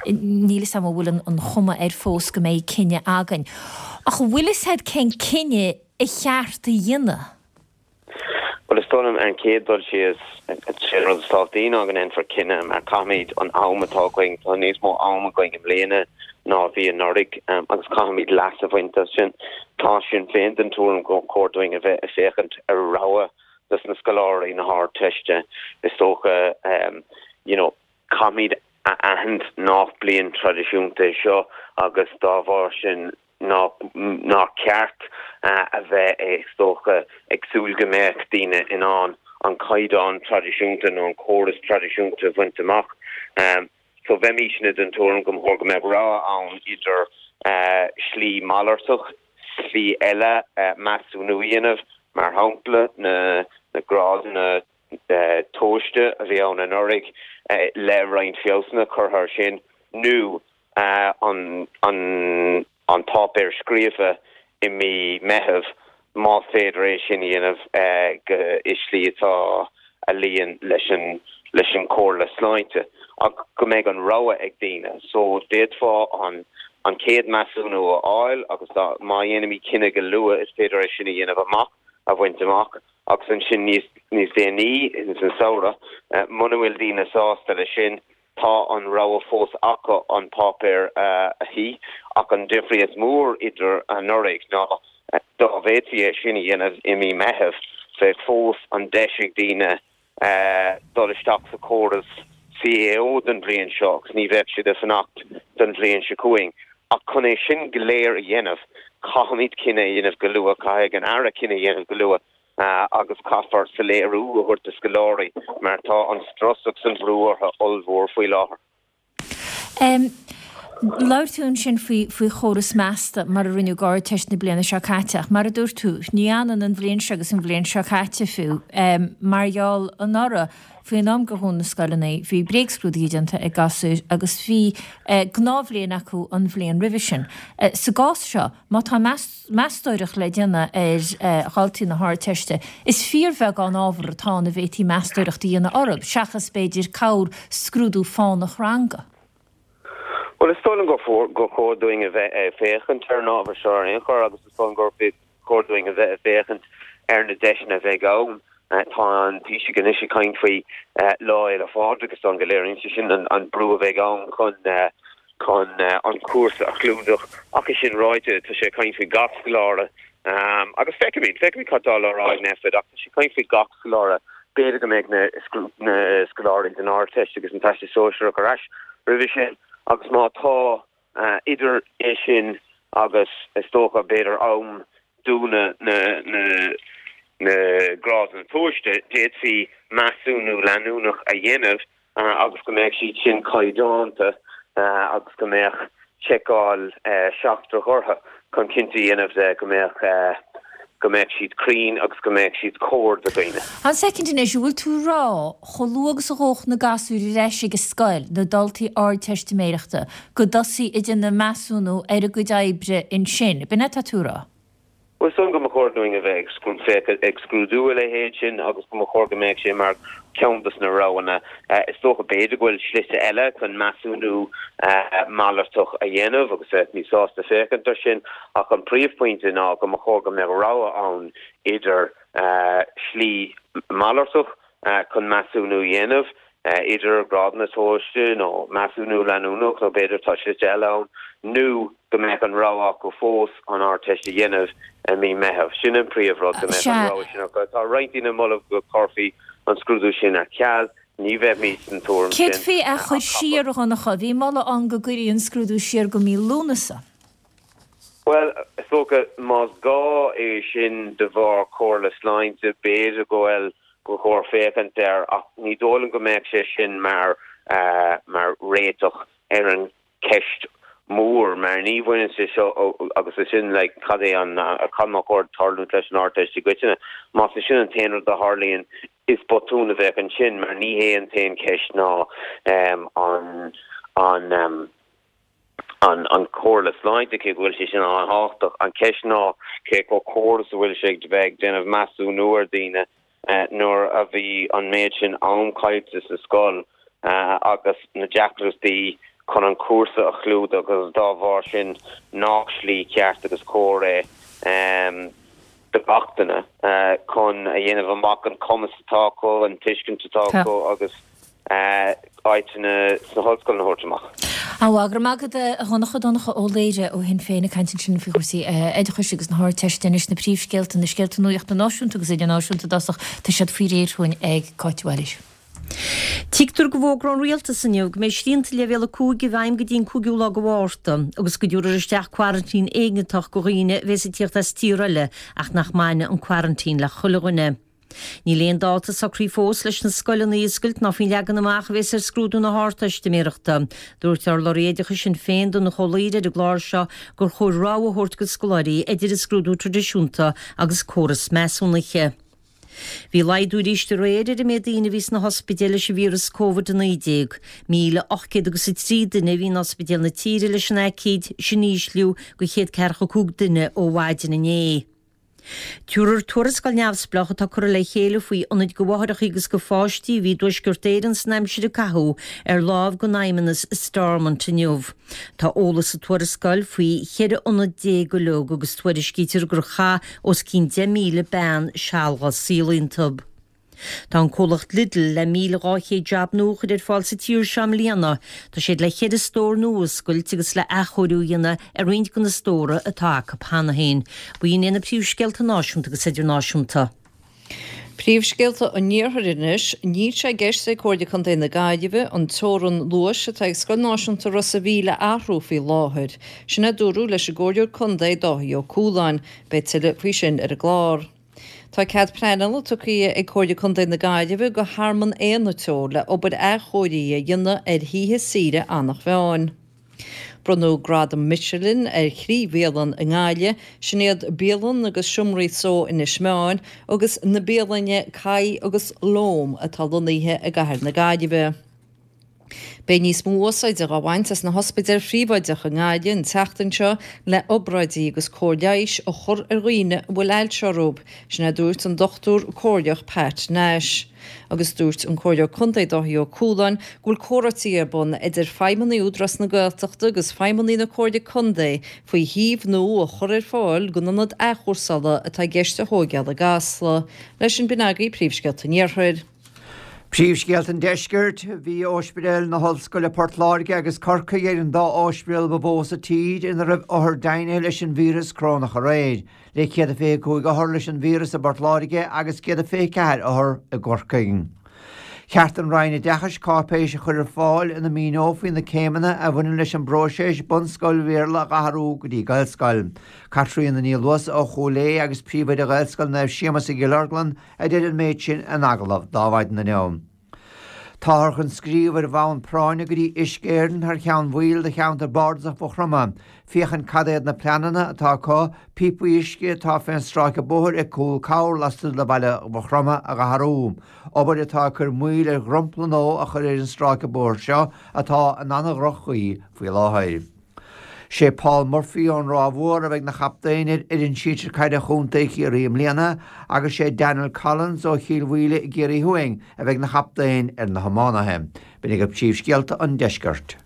níl 'fhios a'm an bhfuil an chuma air fós go mbeidh cinneadh againn. Ach an bhfuil 'fhios a'd cén cinneadh a cheart a dhéanamh? Bhuel, is dóigh liom, ar an chéad dul síos, sé an rud is tábhachtaí ná go ndéanfar cinneadh mar caithfimid an am atá againn, tá níos mó am againn i mbliana ná a bhí anuraidh agus caithfimid leas a bhaint as sin. Tá Sinn Féin den tuairim gur chóir dúinn a bheith ag féachaint ar rogha dos na scoláirí na hArdteiste. Is dócha, you know, caithfimid a aithint nach bliain traidisiúnta é seo agus dá bharr sin, nár cheart a bheith, is dócha, ag súil go mbeadh daoine in ann an caighdeán traidisiúnta nó an córas traidisiúnta a bhaint amach. So bheimísne den tuairim go mba chóir go mbeadh rogha ann idir slí malartach, slí eile measúnú a dhéanamh, mar shampla na grádanna tomhaiste a bhí ann anuraidh le roinnt feabhsanna curtha air sin, nó an páipéar scríofa i mí Meitheamh, más féidir é sin a dhéanamh i slí atá a luíonn leis an leis an Chomhairle Sláinte, ach go mbeidh an rogha ag daoine. So d'fhéadfá an an chéad measúnú a fháil agus dá má dhéanaimid cinneadh go luath is féidir é sin a dhéanamh amach, a bhaint amach agus ansin níos níos déanaí ins an samhradh, muna bhfuil daoine sásta leis sin, Tá an rogha fós acu an páipéar a shuí, ach an difríocht mhór idir anuraidh ná dá bhféadfaí é sin a dhéanamh i mí Meithimh, bheadh fós an deis ag daoine dul isteach sa chóras CAO don bhliain seo agus ní bheadh siad ag fanacht don bhliain seo chugainn. Ach chun é sin go léir a dhéanamh, caithfimid cinneadh a dhéanamh go luath, caithfidh an Aire cinneadh a dhéanamh go luath. agus caithfear soiléiriú a thabhairt do scoláirí mar tá an strus agus an brú orthu ollmhór faoi láthair. Labhair tú ansin faoi faoi chóras measta mar a rinneadh d'Ardteist na bliana seo caite ach mar a dúirt tú, ní hionann an bhliain seo agus an bhliain seo caite fiú. Mar gheall anuraidh, faoin am gur dhún na scoileanna, bhí bréagscrúduithe déanta ag gasúir agus bhí gnáthbhliain acu an bhliain roimhe sin. Sa gcás seo, má tá meastóireacht le déanamh ar dhaltaí na hArdteiste, is fíorbheagán ábhar atá ann a bhféadfaí meastóireacht a dhéanamh orthu, seachas, b'fhéidir, corrscrúdú fánach ranga. Bhuel, is dóigh liom gur chóir dúinn a bheith ag féachaint ar an ábhar seo ar aon chor agus is dóigh liom gur chóir dúinn a bheith ag féachaint ar na deiseanna a bheidh ann. Tá an Taoiseach anois ag caint faoi Lá Fhéile Pádraig, is dóigh liom go léiríonn sé sin an brú a bheidh ann chun chun an cúrsa a chlúdach. Ach é sin ráite, tá sé ag caint faoi gach scoláire agus feicfimid, feicfimid cad tá le rá ag Nphet ach tá sé ag caint faoi gach scoláire. B'fhéidir go mbeidh na scoláirí don Ardteist agus an Teastas Sóisearach ar ais roimhe sin agus má tá, idir é sin agus is dócha b'fhéidir am dúnadh na na grádanna tomhaiste, d'fhéadfaí measúnú leanúnach a dhéanamh agus go mbeadh siad sin caighdeánta agus go mbeadh seiceáil seachtrach orthu chun cinnte a dhéanamh de go mbeadh go mbeadh siad cruinn agus go mbeadh siad cóir do dhaoine. Fan soicind anois, an bhfuil tú ag rá, chomh luath agus a ghabhfadh na gasúir ar ais ag an scoil, na daltaí Ardteistiméireachta, go dtosfaí ag déanamh measúnú ar a gcuid oibre ansin, b'in é atá tú ag rá? Bhuel, is dóigh liom go mba chóir dúinn a bheith ag ag scrúdú a leithéid sin agus go mba chóir go mbeadh sé mar cheann dos na roghanna. Is dócha, b'fhéidir go bhfuil slite eile chun measúnú malartach a dhéanamh agus bheifí sásta féachaint ar sin ach an príomhphointe ná go mba chóir go mbeadh rogha ann idir slí malartach chun measúnú a dhéanamh, idir grádanna tomhaiste nó measúnú leanúnach nó b'fhéidir tá slite eile ann, nó go mbeadh an rogha acu fós an Ardteist a dhéanamh i mí Meitheamh. Sin an príomhrud, go mbeadh an rogha sin acu. Tá roinnt daoine ag moladh go gcuirfí an scrúdú sin ar ceal. Ní bheimid den tuairim sin. Céard faoi é a chur siar, a Dhonncha? Bhí moladh ann go gcuirfí an scrúdú siar go mí Lúnasa. Bhuel, is dócha, más gá é sin de bharr comhairle sláinte, b'fhéidir go bhfuil, gur chóir féachaint air ach ní dóigh liom go mbeadh sé sin mar, mar réiteach ar an cheist mhór mar ní bhaineann sé seo agus é sin like cad é an, cad má chóir tarlúint leis an Ardteist i gcoitinne. Más é sin an t-aon rud a tharlaíonn is botún a bheadh ansin mar ní hé an t-aon cheist ná an, an, an chomhairle sláinte, cé go bhfuil sé sin an-thábhachtach. An cheist ná cé chomh cóir is a bhfuil sé ag bheith ag déanamh measúnú ar dhaoine nuair a bhí an méid sin am caillte sa scoil agus na deacrachtaí chun an cúrsa a chlúdach agus dá bharr sin nach slí cheart agus chóir é do gach duine chun a dhéanamh amach an cumas atá acu, an tuiscint atá acu agus áiteanna sna hollscoileanna a thabhairt amach. Á, go raibh maith agat a Dhonncha, Donncha Ó Laoire ó Shinn Féin ag caint ansin faoi chúrsaí oideachais agus na hArdteiste anois, na príomhscéalta, na scéalta nuachta náisiúnta agus idirnáisiúnta i dtosach, tá siad faoi réir chugainn ag Cáit Mhaoilís. Tuigtear go bhfógróidh an Rialtas inniu go mbeidh srianta Leibhéal 5 i bhfeidhm go dtí an cúigiú lá de Mhárta agus go dtabharfar isteach coraintín éigeantach do dhaoine a bhéas ag tíocht as tír eile ach nach mbainfidh an coraintín le chuile dhuine. Níl aon dáta socraithe fós leis na scoileanna a oscailt ná faoin leagan amach a bhéas ar scrúdú na hArdteistiméireachta. Dúirt urlabhraí oideachais Shinn Féin, Donnchadh Ó Laoghaire ar an gclár seo gur chóir rogha a thabhairt do scoláirí idir an scrúdú traidisiúnta agus córas measúnaithe. Bhí laghdú arís aréir ar an méid daoine a bhí sna hospidéil leis an víreas Covid-19. 1,803 duine a bhí in ospidéil na tíre leis an aicíd, sin ísliú de 145 duine ó mhaidin inné. Tabharfar tuarascáil neamhspleách atá curtha le chéile faoi ionaid do mháithreacha agus do pháistí a bhí i dTuaisceart Éireann san aimsir a caitheadh ar láimh don fheidhmeannas i Stormont inniu. Tá eolas sa tuarascáil faoi 14 ionad uilig agus tuairiscítear gur chaith os cionn 10,000 bean seal dá saol iontu. Tá an comhlacht Lidl le 1,200 jab nua a chur ar fáil sa tír seo i mbliana. Tá siad le cheithre stór nua a oscailt agus le athchóiriú a dhéanamh ar roinnt de na stóra atá acu cheana féin. B'in iad na príomhscéalta náisiúnta agus idirnáisiúnta. Príomhscéalta an Iarthair anois. Níl sé i gceist ag Comhairle Contae na Gaillimhe an teorainn luais atá ag Scoil Náisiúnta Ros a' Mhíl a athrú faoi láthair. Sin a dúradh leis an gComhairleoir Contae Dáithí Ó Cualáin. Beidh tuilleadh faoi sin ar an gclár. Tá cead pleanála tugtha ag Comhairle Contae na Gaillimhe do Thearmann Éanna Teo le obair athchóirithe a dhéanamh ar thithe saoire Eanach Mheáin. Bronnadh Gradam Michelin ar thrí bhialann i nGaillimh, sin iad Bialann agus Seomraí Só Inis Meáin agus na bialanna Kai agus Loam atá lonnaithe i gcathair na Gaillimhe. Beidh níos mó úsáide dhá bhaint as na hospidéil phríobháideacha i nGaillimh an tseachtain seo le obráidí agus cóir leighis a chur ar dhaoine a bhfuil ailse orthu, sin a dúirt an Dochtúir Comhairleach Pat Nash. Agus dúirt an Comhairleoir Contae Dáithí Ó Cualáin go bhfuil comhráití ar bun idir feidhmeannaigh Údarás na Gaeltachta agus feidhmeannaigh na Comhairle Contae faoi shuíomh nua a chur ar fáil don ionad athchúrsála atá i gceist a thóigeáil i gCasla. Leis sin b'in agaibh príomhscéalta an Iarthair. Príomhscéalta an Deiscirt, Bhí Ospidéil na hOllscoile Port Láirge agus Corcaigh ar an dá ospidéal ba mhó sa tír ina raibh othair deimhnithe leis an víreas corónach aréir, le 125 othar leis an víreas i bPort Láirge agus 124 othar i gCorcaigh. Cheart don Roinn Oideachais cáipéis a chur ar fáil ina míneofaí na céimeanna a bhaineann leis an bpróiseas bunscoil Bhéarla a athrú go dtí Gaelscoil. Caitríona Ní Luasa ó Chúil Aodha agus príomhoide Ghaelscoil Naomh Séamus i gCill Orglan a deir an méid sin in agallamh d'Adhmhaidin inniu. Táthar chun scríobh ar bhonn práinne go dtí Uisce Éireann thar cheann bhaill de cheantar bardasach Mhaigh Chromtha féachaint cad iad na pleananna atá acu píopaí uisce atá fén stráice bóthair ag Cúl Corr lastuas de bhaile Mhaigh Chromtha a dh'athrú, obair atá ag cur moill ar dhromchla nua a chur ar an stráice bóthair seo atá in ana-dhroch-chaoi faoi láthair. Sé Paul Murphy ón Ráth Mhór a bheidh 'na chaptaen ar fhoireann sinsir caide Chontae Chiarraí i mbliana agus sé Daniel Collins ó Chill Mhaoile i gCiarraí Thuaidh a bheidh 'na chaptaen ar na hiománaithe. B'in agaibh príomhscéalta an deiscirt.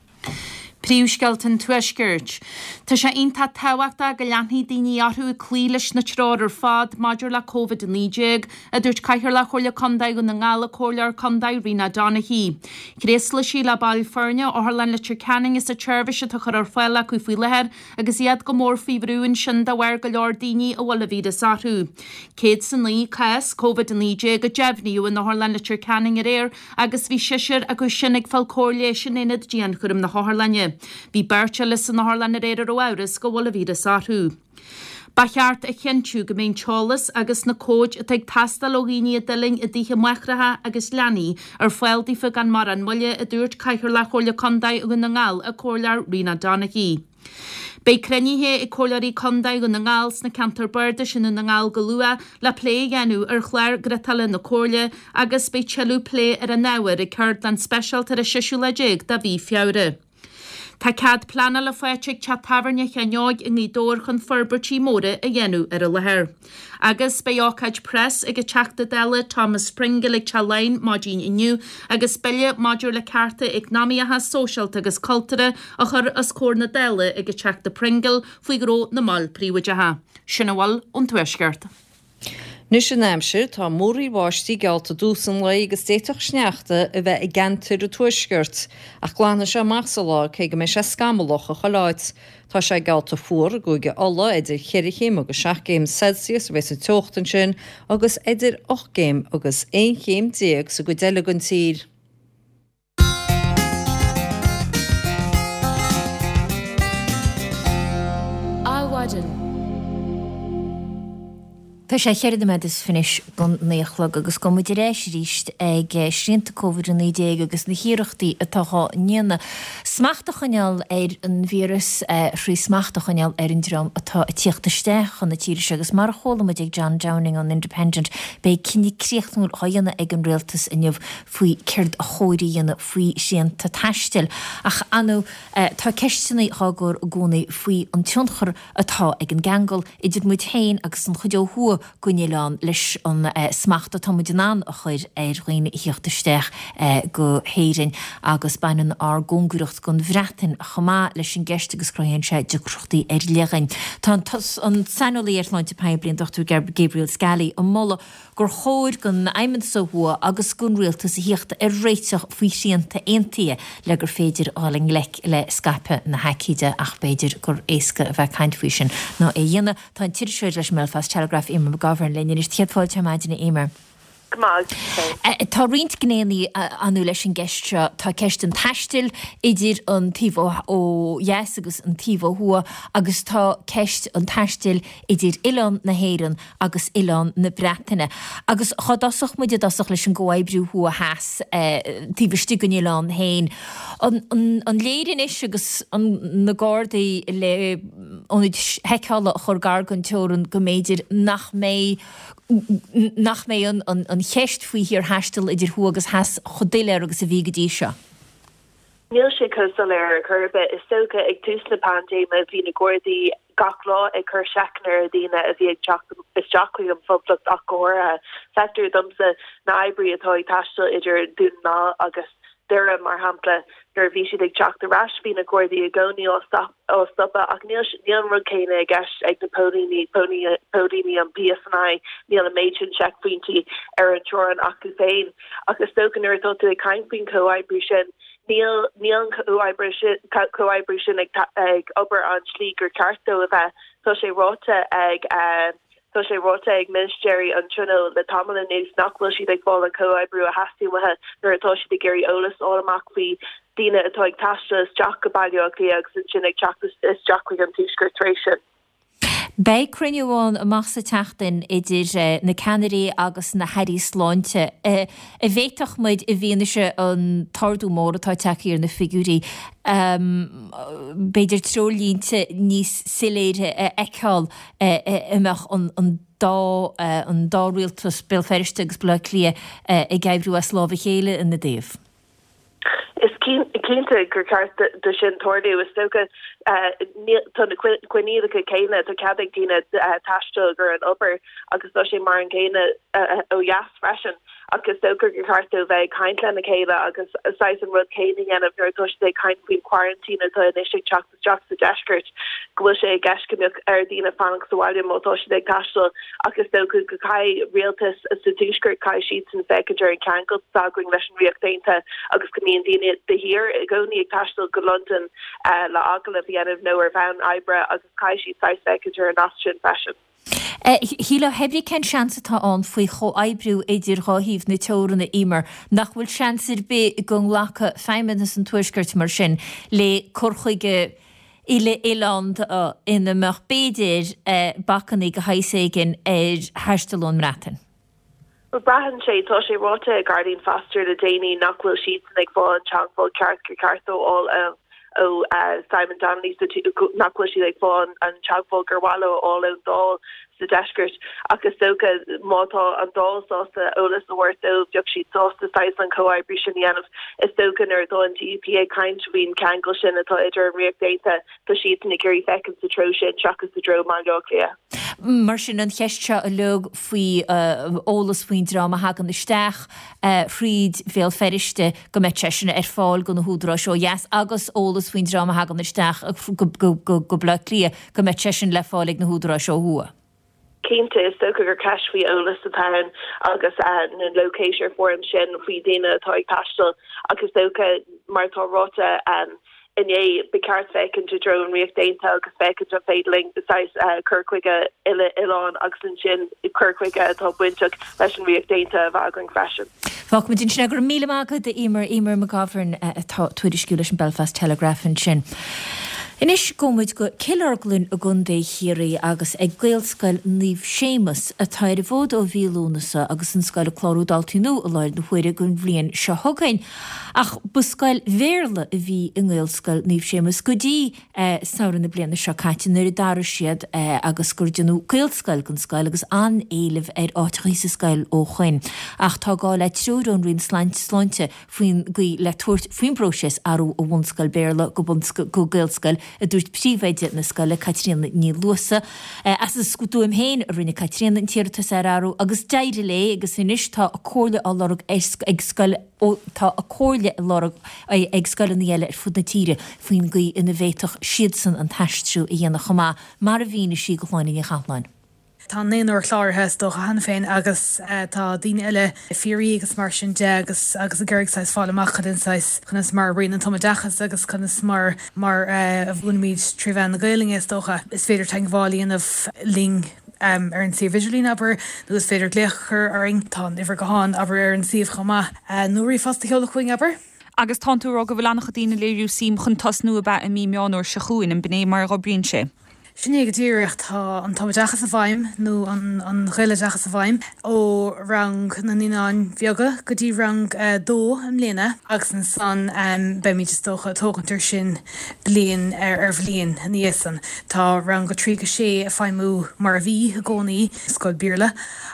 Príomhscéalta an Tuaiscirt. Tá sé iontach tábhachtach go leanfaidh daoine orthu ag cloí leis na treoir ar fad maidir le Covid-19, a dúirt Cathaoirleach Chomhairle Contae Dhún na nGall, an Comhairleoir Contae Rena Donaghey. Thréaslaigh sí le baill foirne Otharlann Leitir Ceanainn as an tseirbhís atá á chur ar fáil acu faoi láthair agus iad go mór faoi bhrú ansin de bharr go leor daoine a bhfuil an víreas orthu. 109 cás Covid-19 a deimhníodh in Otharlann Leitir Ceanainn aréir agus bhí seisear acu sin ag fáil cóir leighis in aonad dianchúraim na hotharlainne. Bhí beirt eile san otharlann aréir a raibh amhras go bhfuil an víreas orthu. Ba cheart a chinntiú go mbeidh an t-eolas agus na comhaid atá ag teastáil ó dhaoine a d'fhulaing i dtithe máithreacha agus leanaí ar fáil daofa gan mórán moille, a dúirt Cathaoirleach Chomhairle Contae Dhún na nGall, an Comhairleoir Rena Donaghey. Beidh cruinnithe ag Comhairleoirí Contae Dhún na nGall sna ceantair bardais i nDún na nGall go luath le plé a dhéanamh ar chlár griotála na Comhairle agus beidh tuilleadh plé ar an ábhar ag ceardlann speisialta ar an seisiú lá déag de mhí Feabhra. Tá cead pleanála faighte ag teach tábhairne Sheáin Óig i nGaoth Dobhair chun forbairtí móra a dhéanamh ar an láthair. Agus beidh ócáid preas ag an Teachta Dála Thomas Pringle ag Teach Laighean maidin inniu agus bille maidir le cearta eacnamaíocha, sóisialta agus cultúrtha á chur os comhair na Dála ag an Teachta Pringle faoi ghnó na mball príobháideacha. Sin a bhfuil ón Tuaisceart. Anois an aimsir, tá múraíl bháistí geallta i dtús an lae agus d'fhéadfadh sneachta a bheith i gceantair an tuaiscirt, ach glanfaidh sé amach sa lá cé go mbeidh sé scamallach i chuile áit. Tá sé geallta fuar i gCúige Uladh, idir cheithre chéim agus seacht gcéim Celsius a bheas an teocht ansin agus idir ocht gcéim agus aon chéim déag sa gcuid eile den tír. Adhmhaidin. Tá sé cheithre nóiméad is fiche don naoi a chlog agus gabhfaidh muid ar ais arís ag srianta Covid-19 agus na hiarrachtaí atá á ndéanamh smacht a choinneáil ar an víreas thrí smacht a choinneáil ar an dream atá ag tíocht isteach chun na tíre seo agus mar a chuala muid ag John Downing ón Independent beidh cinneadh críochnúil á dhéanamh ag an Rialtas inniu faoi céard a chóir a dhéanamh faoi shrianta taistil. Ach Anu, tá ceisteanna á gcur i gcónaí faoi an tionchar atá ag an gceangal idir muid féin agus an chuid ó thuaidh den oileán leis an smacht atá muid in ann a chur ar dhaoine a thíocht isteach go hÉirinn. Agus baineann ár gcóngaracht don Bhreatain chomh maith leis an gceist agus cruthaíonn sé deacrachtaí ar leith dhúinn. Tá an saineolaí ar shláinte poiblí, an Dr Gabriel Scally, ag moladh gur chóir don Fheidhmeannas ó thuaidh agus don Rialtas a thíocht ar réiteach faoi shrianta aontaithe le gur féidir dhul i ngleic le scaipeadh na haicíde ach b'fhéidir gur éasca a bheith ag caint faoi sin ná é a dhéanamh. Tá an t-iriseoir leis an mBelfast Telegraph, Eimear McGovern, linn anois. Céad fáilte ar maidin, a Eimear. Go maith, féin. Tá roinnt gnéanna Anu leis an gceist seo. Tá ceist an taistil idir an taobh ó dheas agus an taobh ó thuaidh agus tá ceist an taistil idir oileán na hÉireann agus oileán na Breataine. Agus dhá dtosódh muid i dtosach leis an gcomhoibriú thuaidh-theas taobh istigh den oileán féin, an léir anois agus na Gardaí le ionaid sheiceála a chur gar don teorann go mb'fhéidir nach mbeidh nach mbeidh an cheist faoi shaorthaisteal idir thuaidh agus theas chomh doiléir agus a bhí go dtí seo? Níl sé chomh soiléir ar chor ar bith. Is dócha ag tús na paindéime bhí na Gardaí gach lá ag cur seiceanna ar dhaoine a bhí ag teacht isteach chuig an Phoblacht ach go háirithe. Feictear domsa na oibrithe atá ag taisteal idir Dún na nGall agus Doire mar shampla, nuair a bhí siad ag teacht ar ais bhí na Gardaí i gcónaí á stopadh ach níl níl an rud céanna i gceist ag na póilíní, póilíní an PSNI, níl an méid sin seicphointí ar an teorainn acu féin. Ach is dócha nuair atá tú ag caint faoin chomhoibriú sin, níl níl an comhoibriú sin comhoibriú sin ag ag obair an tslí gur ceart dó a bheith. Tá sé ráite ag tá sé ráite ag ministéirí an Tionóil le tamall anuas nach bhfuil siad ag fáil an comhoibriú a theastaíonn uathu nuair atá siad ag iarraidh eolas a fháil amach faoi daoine atá ag taisteal isteach go Baile Átha Cliath agus ansin ag teacht isteach chuig an Tuaisceart tar éis sin. Beidh cruinniú ann amach sa tseachtain idir na ceannairí agus na hairí sláinte. An bhféadfadh muid, i bhfianaise an t-ardú mór atá tagtha ar na figiúirí, b'fhéidir treoirlínte níos soiléire a fheiceáil a mbeadh an dá an dá rialtas, Béal Feirste agus Baile Átha Cliath, ag oibriú as lámh a chéile ina dtaobh? Is cinnte gur ceart do sin tarlú. Is dócha tá na coinníollacha céanna, tá cead ag daoine taisteal ag an obair agus tá sé mar an gcéanna ó dheas freisin. Ach is dócha gur ceart dóibh bheith ag caint lena chéile agus saghas an rud céanna a dhéanamh nuair atá siad ag caint faoin quarantine atá anois ag teacht isteach sa deisceart, go bhfuil sé i gceist go mbeadh ar dhaoine fanacht sa bhaile má tá siad ag taisteal ach is dócha go gcaithfidh rialtas sa tuaisceart, caithfidh siadsan féachaint ar an cheangal atá againn leis an Ríocht Aontaithe agus go mbíonn daoine de shíor i gcónaí ag taisteal go Londain le agallamh a dhéanamh nó ar bhonn oibre agus caithfidh siad saghas féachaint ar an nasc sin freisin. Shílfeá pé brí cén seans atá ann faoi chomhoibriú idir dhá thaobh na teorann, a Emer, nach bhfuil seans ar bith go nglacfadh Feidhmeannas an Tuaiscirt mar sin le cur chuige uile-oileánda ina mbeadh b'fhéidir bacannaí de shaghas éigin ar thaisteal ón mBreatain? Bhuel, braitheann sé. Tá sé ráite ag Arlene Foster le déanaí nach bhfuil siadsan ag fáil an teagmháil ceart gur ceart dóibh a fháil ó Simon Donnelly, nach bhfuil siad ag fáil an teagmháil gur mhaith leo a fháil ón Dáil sa deisceart. Ach is dócha má tá an Dáil sásta eolas a thabhairt dóibh, bheadh siad sásta saghas an comhoibriú sin a dhéanamh. Is dócha nuair atá an DUP ag caint faoin cheangal sin atá idir an Ríocht Aontaithe, tá siadsan ag iarraidh féachaint sa treo sin seachas i dtreo Bhaile Átha Cliath. Mar sin, an cheist seo uilig faoi eolas faoin dream a thagann isteach thríd Bhéal Feirste, go mbeadh sé sin ar fáil do na húdaráis ó dheas, agus eolas faoin dream a thagann isteach go Baile Átha Cliath, go mbeadh sé sin le fáil ag na húdaráis ó thuaidh. Cinnte, is dócha gur ceist faoi eolas atá ann agus na locator forms sin faoi daoine atá ag taisteal ach is dócha, mar atá ráite inné, ba cheart féachaint i dtreo an Ríocht Aontaithe agus féachaint an féidir linn saghas cur chuige uile-oileáin agus ansin cur chuige atá bainteach leis an Ríocht Aontaithe a bheith againn freisin. Fágfaimid ansin é. Go raibh míle maith agat, a Emer. Emer McGovern atá ag tuairisciú leis an Belfast Telegraph ansin. Anois gabhfaidh muid go Cill Orglan i gContae Chiarraí agus ag Gaelscoil Naomh Séamus atá ar an bhfód ó mhí Lúnasa agus an scoil ag clárú daltaí nua i láthair na huaire don bhliain seo chugainn. Ach ba scoil Bhéarla a bhí i nGaelscoil Naomh Séamus go dtí samhradh na bliana seo caite nuair a d'athraigh siad agus gur déanadh Gaelscoil den scoil agus an-éileamh ar áiteachaí sa scoil ó shoin. Ach tá gá le treoir ón Roinn Sláinte faoin gcaoi le tabhairt faoin bpróiseas athrú ó bhunscoil Béarla go go Gaelscoil, a dúirt príomhoide na scoile, Caitríona Ní Luasa. As a stuaim féin a rinne Caitríona an t-iarratas ar athrú agus d'éirigh léi agus anois tá a comhairle á lorg ag scoil Tá a comhairle á lorg ag scoileanna eile ar fud na tíre faoin gcaoi ina bhféadfadh siadsan an t-aistriú a dhéanamh chomh maith, mar a mhínigh sí do Shláine Ní Chathalláin. Tá naonúr cláraithe is dócha cheana féin agus tá daoine eile ag fiafraí agus mar sin de agus agus ag iarraidh saghas fáil amach cad é an saghas, conas mar a oibríonn an tumoideachas agus conas mar mar a mhúinimid trí mheán na Gaelainne is dócha. Is féidir teagmháil a dhéanamh linn. ar an suíomh idirlín, abair, nó is féidir glaoch a chur orainn, tá an uimhir gutháin, abair, ar an suíomh chomh maith, nó ríomhphost a sheoladh chugainn, abair. Agus tánn tú ag rá go bhfuil an-chuid daoine ag léiriú suim chun tosnú ab ea i mí Meán Fhómhair seo chugainn, an b'in é mar a dh'oibríonn sé? Sin é go díreach. Tá an tumoideachas i bhfeidhm, nó an Ghaeloideachas i bhfeidhm, ó rang na naíonáin bheaga go dtí rang a dó i mbliana agus ansan beimid is dócha ag tógaint ar sin bliain ar bhliain ina dhiaidh san. Tá rang 3 go 6 ag feidhmiú mar a bhí i gcónaí, scoil Béarla,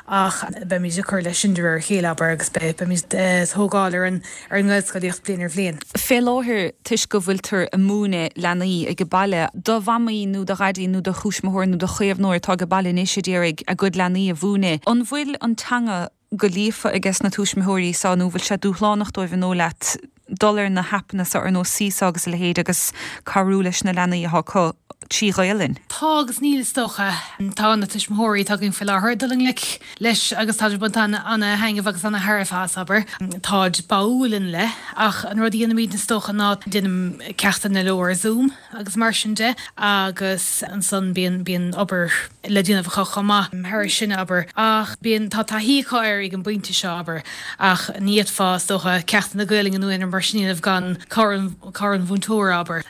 ach beimid ag cur leis sin de réir a chéile, abair, agus beimid ag tógáil ar an ar an nGaelscolaíocht bliain ar bhliain. Fé láthair, toisc go bhfuiltear ag múineadh leanaí ag baile, do mhamaí nó do dhaidí nó do thuismitheoir nó do chaomhnóir atá ag baile anois a d'iarraidh a gcuid leanaí a mhúineadh, an bhfuil an teanga go líofa ages na tuismitheoirí so nó bhfuil sé dúshlánach dóibh an dóigh leat dul ar na haipeanna so ar nós Seesaw agus a leithéid agus cabhrú leis na leanaí atá acu trí Ghaelainn? Tá agus níl is dócha. Tá na tuismitheoirí atá againn faoi láthair ag dul i ngleic leis agus táid ag baint ana-thaitneamh agus ana-thairbhe as, abair. Táid báúil ina leith ach an rud a dhéanaimid is dócha ná déanaim ceachtanna leo ar Zoom. agus mar sin de agus ansan bíonn, bíonn obair le déanamh acu chomh maith thairis sin, abair. Ach bíonn, tá taithí acu air ag an bpointe seo, abair, ach ní fhéadfá, is dócha, ceachtanna Gaelainne nó aon rud mar sin a dhéanamh gan cabhair an, cabhair an mhúinteora, abair.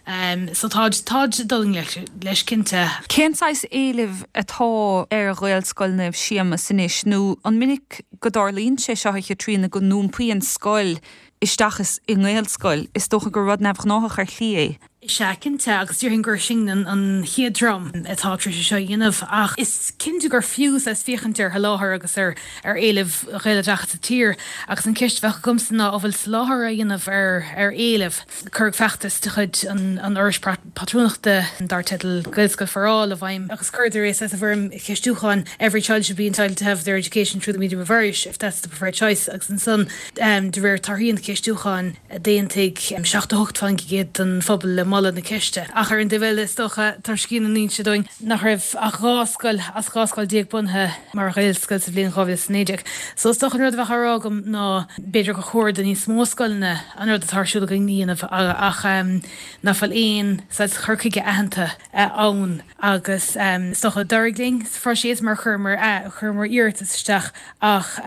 So táid, táid ag dul i ngleic leis, cinnte. Cén saghas éilimh atá ar Ghaelscoil Naomh Séamus anois nó an minic go dtarlaíonn sé seo, a Chaitríona, go n-iompaíonn scoil isteach is i nGaelscoil. Is dócha gur rud neamhghnáthach ar shlí é. Is ea, cinnte, agus déarfainn gur sinn an chéad dream atá tar éis é seo a dhéanamh, ach is cinnte gur fiú saghas féachaint ar sholáthar agus ar ar éileamh Ghaeloideachas sa tír, agus an cheist a bheadh agamsa ná an bhfuil soláthar á dhéanamh ar ar éileamh. Cuireadh feachtas de chuid an Fhorais Pátrúnachta dar teideal Gaelscoil for All i bhfeidhm agus chuireadar é saghas i bhfoirm cheistiúcháin, Every child should be entitled to have their education through the medium of Irish if that's the preferred choice agus ansan, De réir torthaí an cheistiúcháin, d'aontaigh 78% den phobal le. moladh na ceiste. Ach ar an dtaobh eile, is dócha, tá scian in inse dúinn nach raibh ach 12 scoil as 12 scoil bunaithe mar Ghaelscoil sa bhliain 2019. So is dócha an rud a bheadh á rá agam ná b'fhéidir gur chóir do níos mó scoileanna an rud atá ar siúl againn a dhéanamh ach nach bhfuil aon saghas cur chuige aitheanta ann agus is dócha d'éirigh linn sa phróiseas mar chuireamar chuireamar iarratas isteach ach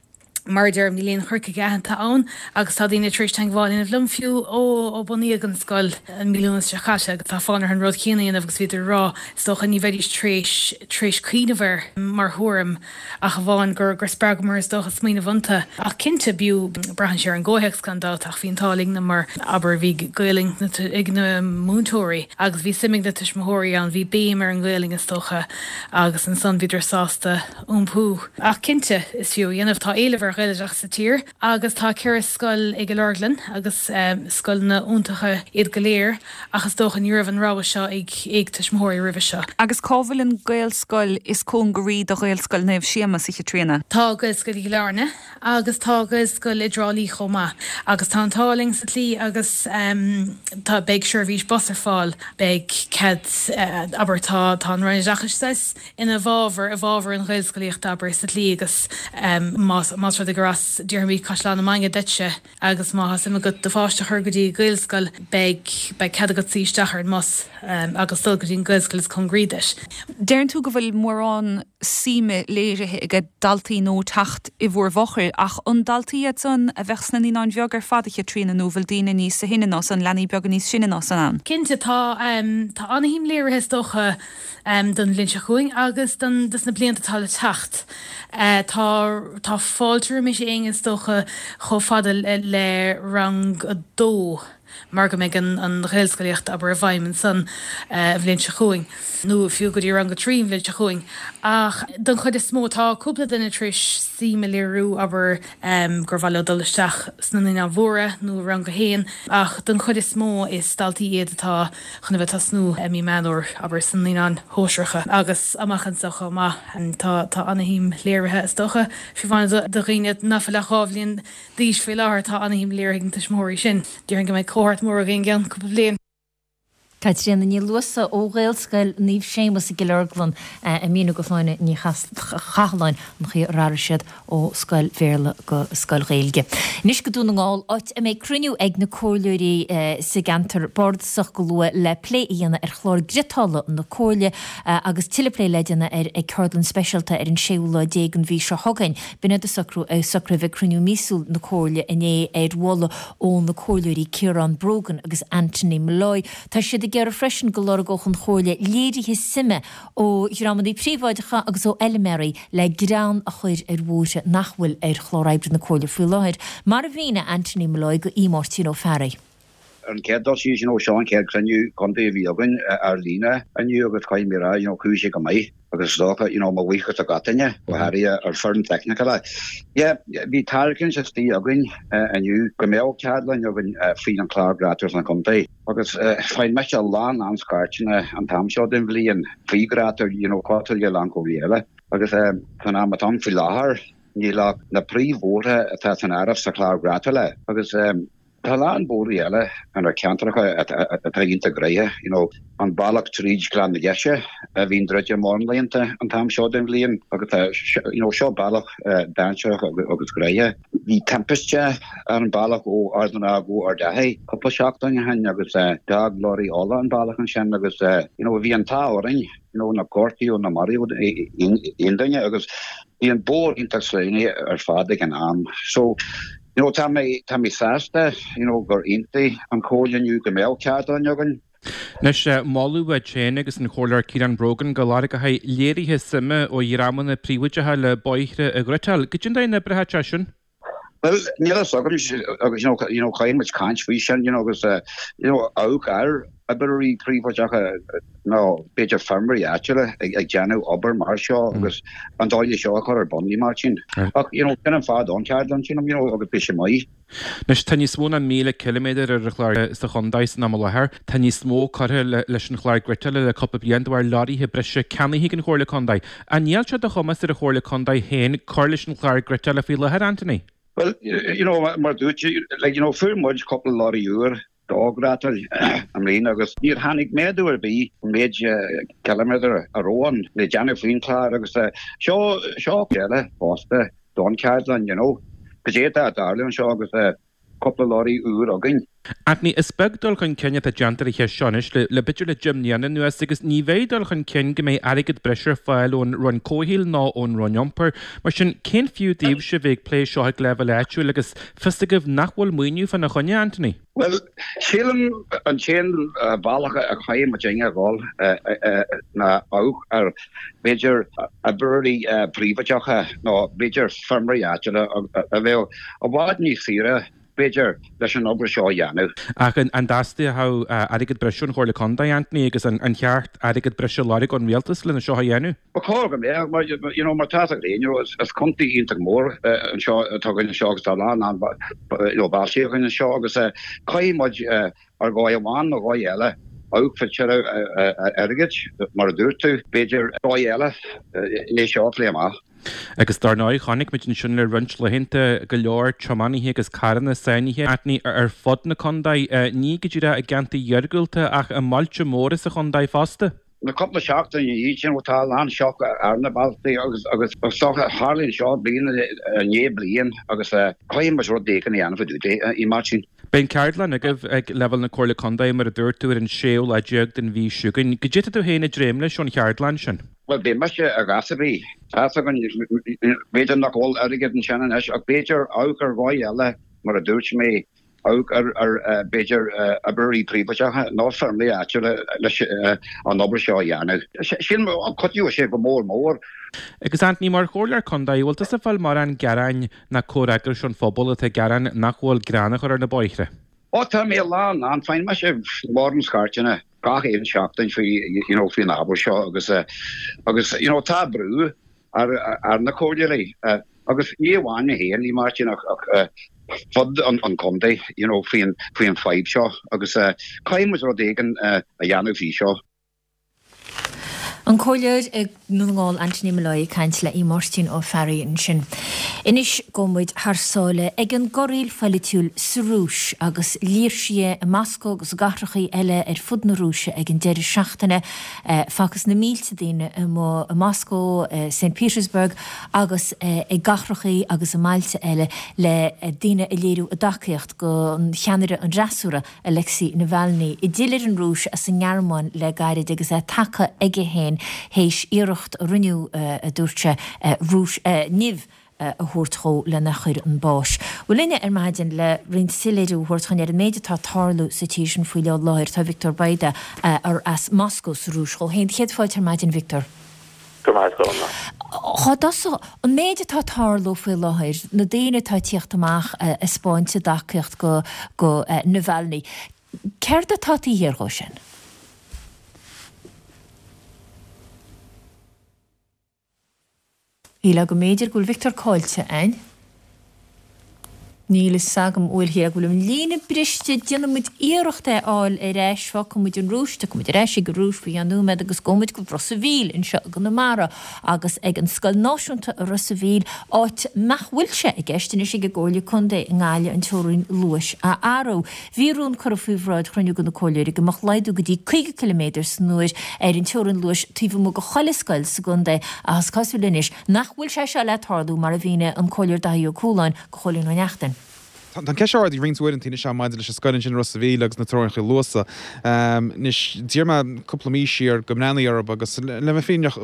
Mar a deirim, níl aon chur chuige aitheanta ann agus tá daoine tar éis teagmháil a dhéanamh liom fiú ó bunaíodh an scoil i mí Lúnasa seo caite agus tá fonn orthu an rud céanna a dhéanamh agus bhíodar ag rá, is dócha, ní bheidís tar éis tar éis cuimhneamh air mar thuairim ach amháin gur gur spreagamar is dócha smaoineamh iontu. Ach cinnte, b'fhiú, braitheann sé ar an gcomhthéacs gan dabht ach bhí an t-ádh linn mar abair bhí Gaelainn ag na múinteoirí agus bhí suim ag na tuismitheoirí ann, bhí béim ar an nGaelainn is dócha agus ansan bhíodar sásta iompú. Ach cinnte, is fiú a dhéanamh. Tá éileamh ar Ghaeloideachas sa tír agus tá 4 scoil i gCill Orglan agus scoileanna iontacha iad go léir ach is dócha ní raibh an rogha seo ag ag tuismitheoirí roimhe seo. Agus cá bhfuil an Gaelscoil is cóngaraí do Ghaelscoil Naomh Séamas, a Chaitríona? Tá Gaelscoil i gCill Airne agus tá Gaelscoil i dTrá Lí chomh maith. Agus tá an t-ádh linn sa tslí agus tá beidh seirbhís bus ar fáil, beidh cead abair tá tá an Roinn Oideachais saghas ina bhfabhar, i bhfabhar an Ghaelscolaíocht, abair, sa tslí agus más, más rud é gur as, déarfaimid, Caisleán na Mainge duitse agus má tá suim agat do pháiste a chur go dtí Gaelscoil, beidh, beidh cead agat suí isteach ar an mbus agus dul go dtí an Ghaelscoil is cóngaraí duit. Deireann tú go bhfuil mórán suime léirithe ag daltaí nua teacht i bhur bhfochair, ach an daltaí iad san a bheadh sna Naíonáin Bheaga ar fad, a Chaitríona, nó an bhfuil daoine níos sine ná san, leanaí beaga níos sine ná san ann? Cinnte, tá, tá ana-shuim léirithe is dócha, don bhliain seo chugainn agus don dos na blianta atá le teacht. Tá tá fáilte roimis éinne is dócha chomh fada le rang a dó mar go mbeidh an an Ghaelscolaíocht abair i bhfeidhm ansan an bhliain seo chugainn nó fiú go dtí rang a 3 an bhliain seo chugainn. Ach don chuid is mó tá cúpla duine tar éis suim a léiriú abair gur mhaith leo dul isteach sna Naíonáin Mhóra nó i rang a haon ach don chuid is mó is daltaí iad atá chun a bheith ag tosnú i mí Meán Fhómhair, abair, sna Naíonáin Shóisearacha agus amach anseo chomh maith. Tá tá ana-shuim léirithe, is dócha, fiú amháin do dhaoine nach bhfuil ach 2 bhliain d'aois faoi láthair, tá ana-shuim léirithe ag na tuismitheoirí sin. Déarfainn go mbeidh cohórt mór againn i gceann cúpla bliain. Caitríona Ní Luasa ó Ghaelscoil Naomh Séamus i gCill Orglan ag míniú do Shláine Ní Chathalláin an chaoi ar athraigh siad ó scoil Bhéarla go scoil Ghaeilge. Anois go Dún na nGall, áit a mbeidh cruinniú ag na comhairleoirí sa gceantar bardasach go luath le plé a dhéanamh ar chlár griotála na comhairle agus tuilleadh plé le déanamh air ag ceardlann speisialta ar an séú lá déag den mhí seo chugainn. B'in iad a socrú socraithe ag cruinniú míosúil na comhairle inné ar mholadh ó na comhairleoirí Ciarán Brogan agus Anthony Molloy. Tá siad ag iarraidh freisin go lorgódh an chomhairle léirithe suime ó dhreamanna príobháideacha agus ó fheilméaraí le greann a chur ar bhóithre nach bhfuil ar chlár oibre na Comhairle faoi láthair, mar a mhínigh Anthony Molloy go Aodh Máirtín Ó Fearraigh. Ar an chéad dul síos, you know, seo an chéad chruinniú contae a bhí againn ar líne inniu agus caithfidh mé a rá, you know, chuaigh sé go maith agus is dócha, you know, mo bhuíochas do gach duine, go háirithe ar foireann teicniúil. Yeah, bhí tairiscint istigh againn inniu go mbeadh ceardlann againn faoin an chlár gréasáin san chontae. Agus faigheann mise a lán lán scairteanna an t-am seo den bhliain faoi ghréasáin, you know, cosúil le a lán comhairlí eile. Agus san am atá ann faoi láthair, níl ach na príomhbhóithre atá san áireamh sa chlár gréasála. Agus tá a lán bóithre eile inár ceantracha atá iontach gnoitheach, you know, an bealach tríd Gleann na Deise a bhíonn druidte mórán laethanta an t-am seo den bhliain agus tá, you know, seo bealach dainséarach agus gnoitheach. Bhí timpiste ar an bealach ó Ard an Rátha go Ard Achaidh cúpla seachtain ó shin agus d'fhág lorraí ola an bealach ansin agus you know bhí an t-ádh orainn you know nár gortaíodh ná maraíodh aon duine agus bhí an bóthar iontach sleamhnaithe ar fad ag an am. So you know tá mé tá mé sásta you know gur aontaigh an Chomhairle inniu go mbeadh ceardlann againn. Anois, moladh uait féin agus an Comhairleoir Ciarán Brogan go lorgófaí léirithe suime ó dhreamanna príobháideacha le bóithre a ghriotáil. Goidé an dóigh a n-oibreoidh sé sin? Bhuel, níl a fhios agam, agus you know, you know, caithfidh muid caint faoi sin, you know, agus you know, amharc ar oibreoirí príobháideacha nó b'fhéidir feirmeoirí áitiúla ag, ag déanamh obair mar seo agus an dóigh le seo a chur ar bun, a Mháirtín. Ach, you know, sin an fáth don cheardlann, sílim, you know, agus beidh sé maith. Anois, tá níos mó ná 1,000 ciliméadar ar an chlár sa chontae san am i láthair. Tá níos mó curtha leis an chlár griotála le cúpla bliain de bharr leoraithe breise ceannaithe ag an Chomhairle Contae. An níl sé de chumas ar an Chomhairle Contae féin cur leis an chlár griotála faoi láthair, Anthony? Bhuel, you know, mar dúirt, like, you know, fuair muid cúpla lorry úr. do ghreatáil i mbliana agus níor tháinig méadú ar bith an méid ciliméadar a raibh ann le déanamh faoin chlár agus seo seo eile fosta don cheardlann you know. Cad é atá ag tarlú anseo agus cúpla lorry úr againn. Anthony, is beag dul chun cinn atá déanta ar an cheist seo anois le b'fhéidir le 10 mbliana anuas agus ní bheidh dul chun cinn go mbeidh airgead breise ar fáil ón Roinn Comhshaoil ná ón Roinn Iompair. Mar sin, cén fiú daoibhse a bheith ag plé seo ag leibhéal áitiúil agus fios agaibh nach bhfuil maoiniú fána choinne, Anthony? Bhuel, sílim an t-aon bhealach a chaithfidh muidinne a dhul ná amharc ar b'fhéidir oibreoirí príobháideacha nó b'fhéidir feirmeoirí áitiúla a bheadh i bhfad níos saoire b'fhéidir leis an obair seo a dhéanamh. Ach an dteastódh airgead breise ón Chomhairle Contae, Anthony, agus an cheart airgead breise a lorg ón Rialtas lena seo a dhéanamh? Ba chóir go mbeadh, mar, you know, mar tá a fhios agat féin, you know, is contae iontach mór anseo atá againn anseo agus tá a lán, you know, bailte againn anseo agus caithfidh muid ar dhóigh amháin nó dhóigh eile amharc fá tuilleadh airgid, mar a dúirt tú, b'fhéidir dóigh eile é seo a phlé amach. Agus dar ndóigh, chonaic muid ansin le roinnt laethanta go leor tiománaithe agus carranna sáinnithe, Anthony, ar fud na contae, ní go díreach i gceantair iargúlta ach i mbailte móra sa chontae fosta. Na cúpla seachtain ina dhiaidh sin, tá a lán sioc ar na bealtaí agus agus is dócha tharlaíonn seo bliain i ndiaidh bliain agus caithfidh muid rud éigin a dhéanamh fá dtaobh de, a Mháirtín. Beidh an ceardlann agaibh ag leibhéal na Comhairle Contae, mar a dúirt tú, ar an séú lá déag den mhí seo chugainn. Goidé tá tú féin ag dréim leis ón cheardlann sin? Bhuel, beidh mise a dhath ar bith. Tá fhios againn, b'fhéidir nach bhfuil airgead ansin anois ach b'fhéidir amharc ar dhóigh eile, mar a dúirt mé, amharc ar, b'fhéidir, oibreoirí príobháideacha nó feirmeoirí áitiúla leis an obair seo a dhéanamh. Sílim go gcuideoidh sé go mór mór. Agus Anthony, mar Chomhairleoir Contae, bhfuil tusa ag fáil mórán gearáin ná comhfhreagrais ón phobal atá ag gearán nach bhfuil grean á chur ar na bóithre? Ó tá mé lán lán, faigheann mise mórán scairteanna gach aon seachtain faoi, you know, faoin ábhar seo agus, agus, you know, tá brú ar na comhairleoirí agus ní amháin mé féin, a Mháirtín, ach fud an chontae, you know, faoin fadhb seo agus caithfidh muid rud éigin a dhéanamh faoi seo. An Comhairleoir i nDún na nGall, Anthony Molloy ag caint le Máirtín Ó Fearraigh ansin. Anois gabhfaidh muid thar sáile ag an gcorraíl pholaitiúil sa Rúis agus léirsithe i Moscó agus i gcathrachaí eile ar fud na Rúise ag an deireadh seachtaine. Facthas na mílte daoine amuigh i Moscó, St Petersburg agus i gcathrachaí agus i mbailte eile le daoine ag léiriú a dtacaíocht don cheannaire an fhreasúra, Alexei Navalny, a d'fhill ar an Rúis as an nGearmáin le gairid agus é tagtha aige féin théis iarracht a rinneadh, a dúirt sé, Rúis, nimh a thabhairt dhó lena chur chun báis. Bhuel linne ar maidin le roinnt soiléiriú a thabhairt dhúinn ar an méid atá ag tarlú sa tír sin faoi láthair tá Victor Bayda as Moscó sa Rúis dhó féin. Céad fáilte ar maidin, Victor. Go raibh maith agat, a Ghormfhlaith. Chá dtosódh an méid atá ag tarlú faoi láthair, na daoine atá ag tíocht amach ag 'spáint a dtacaíocht go go Navalny, céard atá taobh thiar dhó sin? Shílfeá go mb'fhéidir go bhfuil Victor caillte a'inn. Níl fhios agam, bhuel, shílfeá go bhfuil an líne briste, déanfaidh muid iarracht é a fháil ar ais, fágfaidh muid an Rúis, tiocfaidh muid ar ais ag an Rúis faoi cheann nóiméad agus gabhfaidh muid go Ros a' Mhíl anseo i gConamara agus ag an Scoil Náisiúnta i Ros a' Mhíl, áit nach bhfuil sé i gceist anois ag an gComhairle Contae i nGaillimh an teorainn luais a athrú. Bhí rún curtha faoi bhráid chruinniú de na comhairleoirí go mbeadh laghdú go dtí 50 ciliméadar san uair ar an teorainn luais taobh amuigh de chuile scoil sa gcontae ach is cosúil anois nach bhfuil sé seo le tarlú mar a mhínigh an Comhairleoir Daithí Ó Cualáin do Chóilín Ó Neachtain. Tá an cheist seo ardaithe roinnt uaireanta anois maidir leis an scoil ansin i Ros a' Mhíl agus na teorainneacha luasa. Anois, d'iarr mé cúpla mí siar go mbreathnófaí orthu agus le bheith fírinneach,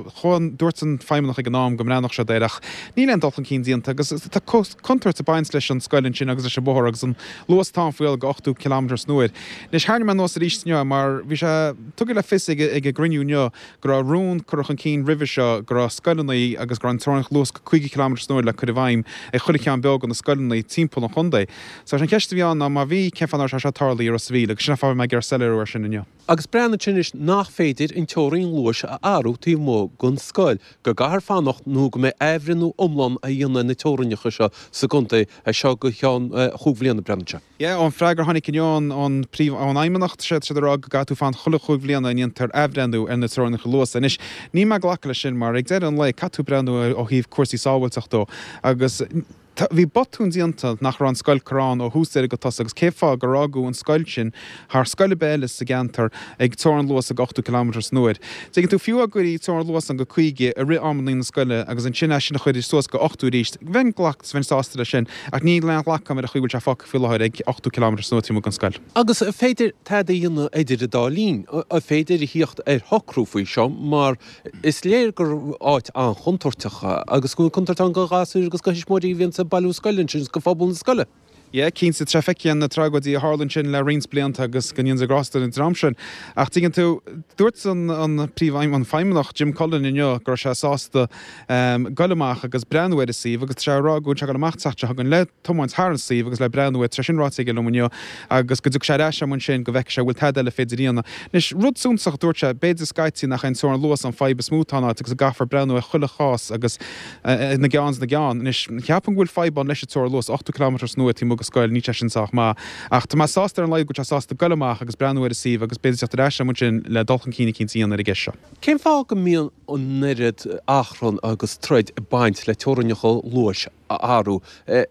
dúirt an feidhmeannach ag an am go mbreathnódh siad air ach níl aon dul chun cinn déanta agus tá contúirt ag baint leis an scoil ansin agus leis an bhóthar agus an luas atá ann faoi láthair go 80 kilometre san uair. Anois, tharraing mé anuas arís inniu mar bhí sé tugtha le fios ag an gcruinniú inniu go raibh rún curtha chun cinn roimhe seo go raibh scoileanna agus go raibh an teorainn luas go 50 kilometre san uair le cur i bhfeidhm ag chuile cheann beag de na scoileanna timpeall an chontae. So, an cheist a bhí ann ná má bhí, cén fáth nach raibh sé seo tarlaithe i Ros a' Mhíl agus sin an fáth a bhí mé ag iarraidh soiléiriú air sin inniu. Agus breathnaigh ansin anois nach féidir an teorainn luais a athrú taobh amuigh den scoil, go gcaithfear fanacht nó go mbeidh athbhreithniú iomlán á dhéanamh ar na teorainneacha seo sa gcontae as seo go ceann chúig bhliana, breathnaíonn sé. Yeah, ón freagra a tháinig inniu ón ón príomh ón fheidhmeannacht, tá siad ag rá go gcaithfidh tú fanacht chuile chúig bhliana a ndéantar athbhreithniú ar na teorainneacha luasa. Anois, níl mé ag glacadh leis sin mar ag deireadh an lae caithfidh tú breathnú ó thaobh cúrsaí sábháilteachta dó agus. Bhí botún déanta nach raibh an scoil curtha ann ó thús deireadh go tosach agus cén fáth gur fhágadh an scoil sin thar scoil ar bith eile sa gceantar ag teorainn luas ag 80 kilometre san uair. Tuigeann tú, fiú dá gcuirfí teorainn luas ann go 50 i rith amanna na scoile agus ansin é sin a chur suas go 80 arís, bheinn glac, bheinn sásta leis sin ach níl aon ghlacadh agam ar an chaoi a bhfuil sé fágtha faoi láthair ag 80 kilometre san uair taobh amuigh den scoil. Agus an féidir tada a dhéanamh idir an dá linn? An féidir a thíocht ar shocrú faoi seo mar is léir gur áit an-chontúirteach agus go bhfuil contúirt ann do ghasúir agus do thuismitheoirí a bhíonns ag bailiú scoile ansin agus do phobal na scoile. Yeah, cinnte, tá sé feicthe na tragóidí a tharla ansin le roinnt blianta agus go ndéana Dia grásta ar an dream sin. Ach tuigeann tú, dúirt an an príomh an feidhmeannach Jim Cullen inniu go raibh sé sásta goil amach agus breathnú ar an suíomh agus tá sé ag rá go bhfuil sé ag goil amach an tseachtain seo chugainn le tiomáint thar an suíomh agus le breathnú air, tá sé sin ráite aige liom inniu, agus go dtiocfaidh sé ar ais agam ansin go bhfeicfidh sé an bhfuil tada eile féidir a dhéanamh. Anois, rud suntasach a dúirt sé, b'fhéidir scaití nach é an teorainn luas an fadhb is mó atá in áit agus go gcaithfear breathnú ar chuile chás agus ina gceann is ina gceann. Anois, ceapaim go bhfuil fadhb ann leis an teorainn luas, 80 kilometre san uair taobh amuigh de scoil, níl sé sin sách maith. Ach tá mé sásta ar an laghad go bhfuil sé sásta goil amach agus breathnú ar an suíomh agus b'fhéidir teacht ar ais agam ansin le dul chun cinn eicínt a dhéanamh ar an gceist seo. Cén fáth go mbíonn an oiread achrann agus troid ag baint le teorainneacha luais a athrú.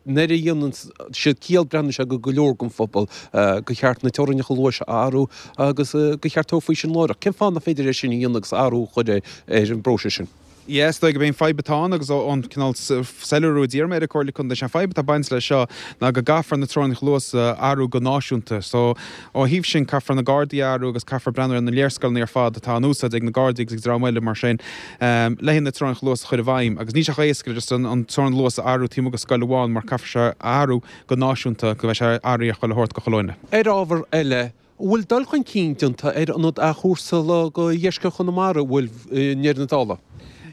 Nuair a dhéanann siad ciall, breathnaíonn sé go go leor den phobal gur cheart na teorainneacha luais a athrú agus gur cheart tabhairt faoi sin láithreach. Cén fáth nach féidir é sin a dhéanamh agus athrú a chur ar an bpróiseas sin? Yeah, is dóigh gurb é an fadhb atá ann agus ón cineál soiléiriú a d'iarr mé ar an Comhairle Contae, sé an fadhb atá ag baint leis seo ná go gcaithfear na teorainneacha luas a athrú go náisiúnta. So, ó thaobh sin, caithfear na Gardaí a athrú agus caithfear breathnú ar na léarscáileanna ar fad atá in úsáid ag na Gardaí agus ag dream eile mar sin. le haghaidh na teorainneacha luas a chur i bhfeidhm agus níl sé chomh éasca le just an teorainn luas a athrú taobh amuigh de scoil amháin mar caithfear sé a athrú go náisiúnta go mbeidh sé athraithe ar chuile shórt go chuile dhuine. Ar ábhar eile, an bhfuil dul chun cinn déanta ar ionad athchúrsála do dheisceart Chonamara, an bhfuil, i ndeireadh na dála?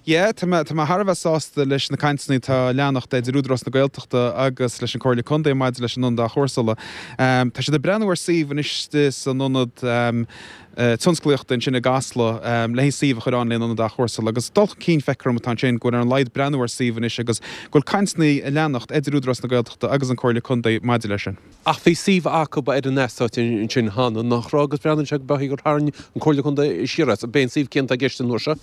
Yeah, tá mé, tá mé thar a bheith sásta leis na cainteanna atá ag leanacht idir Údarás na Gaeltachta agus leis an Comhairle Contae maidir leis an ionad athchúrsála. Tá siad ag breathnú ar suíomh anois san ionad, tionsclaíochta ansin i gCasla le haghaidh suíomh a chur ann le haghaidh an ionad athchúrsála agus dul chun cinn feictear dom atá ansin go bhfuil ar an laghad breathnú ar suíomh anois agus go bhfuil cainteanna ag leanacht idir Údarás na Gaeltachta agus an Comhairle Contae maidir leis sin. Ach bhí suíomh acu ar an eastát ansin cheana, nach raibh, agus breathnaíonn sé go beag gur tharraing an Comhairle Contae siar as. Ab é an suíomh céanna atá i gceist an uair seo?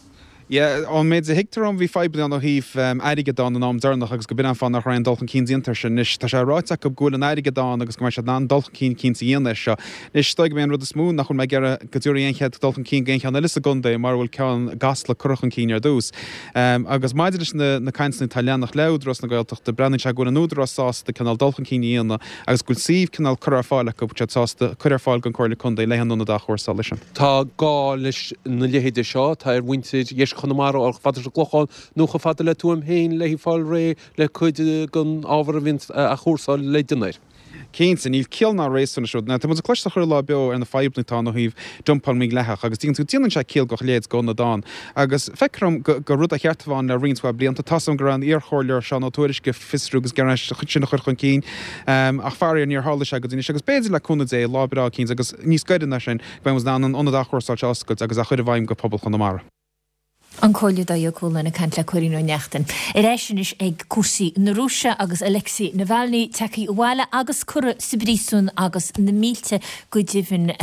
Yeah, ón méid a thuigtear dom, bhí fadhbanna ann ó thaobh airgead ann an am deireanach agus go b'in an fáth nach raibh aon dul chun cinn déanta air sin. Anois, tá sé ráite acu go bhfuil an airgead ann agus go mbeidh siad in ann dul chun cinn eicínt a dhéanamh air seo. Anois, is dóigh gurb é an rud is mó nach bhfuil mé ag iarraidh go dtabharfaí aon chéad dul chun cinn go aon cheann eile sa gcontae mara bhfuil ceann i gCasla curtha chun cinn ar dtús. Agus maidir leis na na cainteanna atá ag leanacht le Údarás na Gaeltachta, breathnaíonn sé go bhfuil an Údarás sásta cineál dul chun cinn a dhéanamh agus go bhfuil suíomh cineál curtha ar fáil acu, bhfuil siad sásta cur ar fáil don Chomhairle Contae le haghaidh an ionad athchúrsála sin. Tá gá leis na leithéide seo, tá ar mhuintir dheisceart Chonamara a dhul chomh fada leis an gClochán nó chomh fada le Tuaim féin le fáil réidh le cuid den ábhar a bhíonns á athchúrsáil le déanamh air. Cinnte, níl ciall ná réasún leis an rud. Now, tá muid ag cloisteáil chuile lá beo ar na fadhbanna atá ann ó thaobh dumpáil mídhleathach agus tuigeann tú, déanann sé ciall go mbeadh a leithéid d'ionad ann. Agus feictear dom gur rud a cheart a bheith ann le roinnt mhaith blianta. Tá's agam go raibh an iarchomhairleoir Seán Ó Tuairisg ag fiosrú agus ag iarraidh sin a chur chun cinn ach faraor níor tharla sé go dtí anois agus b'fhéidir le cúnamh Dé, lá breá eicínt agus níos gaire ná sin, go mbeidh muid in ann an ionad athchúrsála seo a oscailt agus a chur i bhfeidhm go pobal Chonamara. An Comhairleoir Dáithí Ó Cualáin ag caint le Cóilín Ó Neachtain. Ar ais anois ag cúrsaí na Rúise agus Alexei Navalny tagtha abhaile agus curtha sa bpríosún agus na mílte go deimhin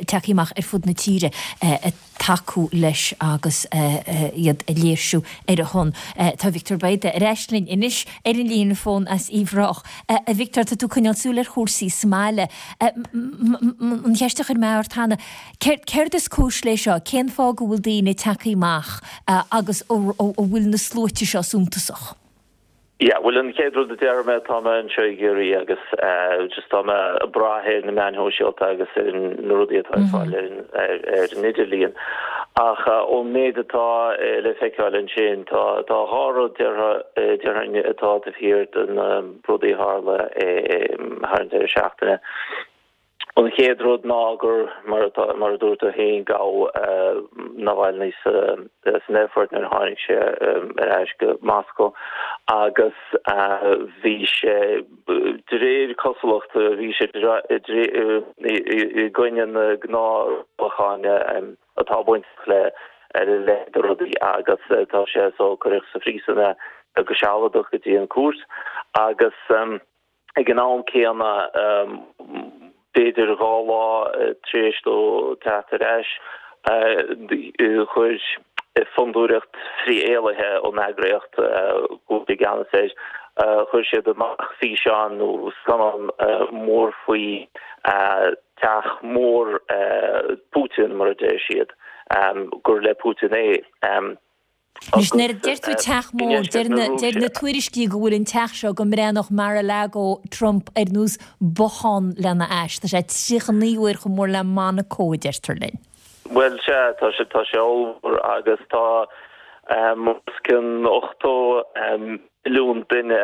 tagtha amach ar fud na tíre ag tacú leis agus iad ag léirsiú ar a shon. Tá Victor Bayda ar ais linn anois ar an líne fón as Uíbh Ráthach. A Victor, tá tú ag coinneáil súil ar chúrsaí sa mbaile. An cheist a chuir mé ort cheana, céard is cúis leis seo? Cén fáth go bhfuil daoine tagtha amach agus an bhfuil na sluaite seo suntasach? Yeah, bhuel an chéad rud a déarfaidh mé, tá mé anseo i gCiarraí agus just tá mé ag brath ar na meáin shóisialta agus ar na rudaí atá ar fáil ar ar an idirlíon. Ach ón méid atá le feiceáil ansin, tá tá dhá rud déarfainn atá taobh thiar de na rudaí a tharla thar an deireadh seachtaine. An chéad rud ná gur, mar atá, mar a dúirt tú féin, gabhadh Navalny san aerfort nuair a tháinig sé ar ais go Moscó agus bhí sé, de réir cosúlachta, bhí sé i gcoinne na ngnáthrialachán atá bainteach le a leithéid de rudaí agus tá sé so cuireadh sa phríosún é go sealadach go dtí an cúirt agus. Ag an am céanna, b'fhéidir dhá lá tar éis dó teacht ar ais, chuir fondúireacht frith-éillithe ón eagraíocht go bhfuil sé i gceannas air. Chuir siad amach físeán nó scannán mór faoi teach mór Putin, mar a deir siad, gur le Putin é. Anois, nuair a deir tú teach mór, deir na tuairiscí go bhfuil an teach seo go mbreathnódh Mar-a-Lago Trump ar nós bothán lena ais. Tá sé 39 uair chomh mór le Monaco, a deirtear linn. Bhuel, sea, tá sé, tá sé ollmhór agus tá os cionn 80 milliún duine,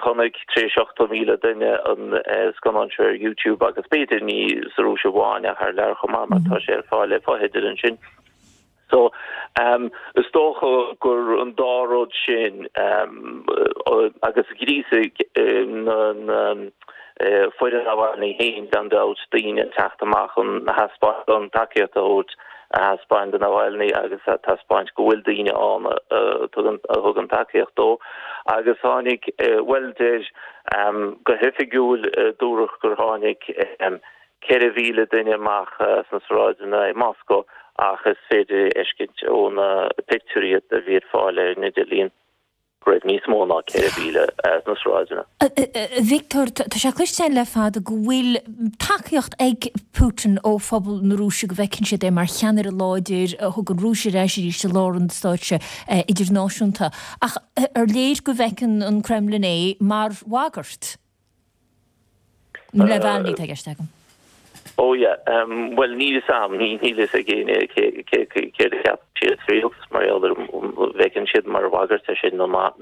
chonaic tar éis 80,000 duine an scannán seo ar YouTube agus b'fhéidir ní sa Rúis amháin ach thar lear chomh maith mar tá sé ar fáil ar fotheidil ansin. So, is dócha gur an dá rud sin agus ghríosaigh na foireann Navalny féin gan dabht daoine teacht amach chun a thaispeáint an tacaíocht a thabhairt a thaispeáint do Navalny agus a thaispeáint go bhfuil daoine ann a thugann tacaíocht dó. Agus tháinig, bhuel deir, go hoifigiúil dúradh gur tháinig 4,000 duine amach sna sráideanna i Moscó ach is féidir a fheiscint ó na pictiúirí a bhí ar fáil ar an idirlíon go raibh níos mó ná 4,000 sna sráideanna. A Victor, tá sé cloiste againn le fada go bhfuil tacaíocht ag Putin ó phobal na Rúise, go bhfeiceann siad é mar cheannaire láidir a thug an Rúis ar ais arís i lár an stáitse idirnáisiúnta. Ach ar léir go bhfeiceann an Kremlin é mar bhagairt? Navalny atá i gceist agam. Oh yeah, bhuel níl fhios a'm, níl fhios ag éinne céard a cheapann siad sa rialtas mar gheall air, an bhfeiceann siad mar bhagairt é sin nó nach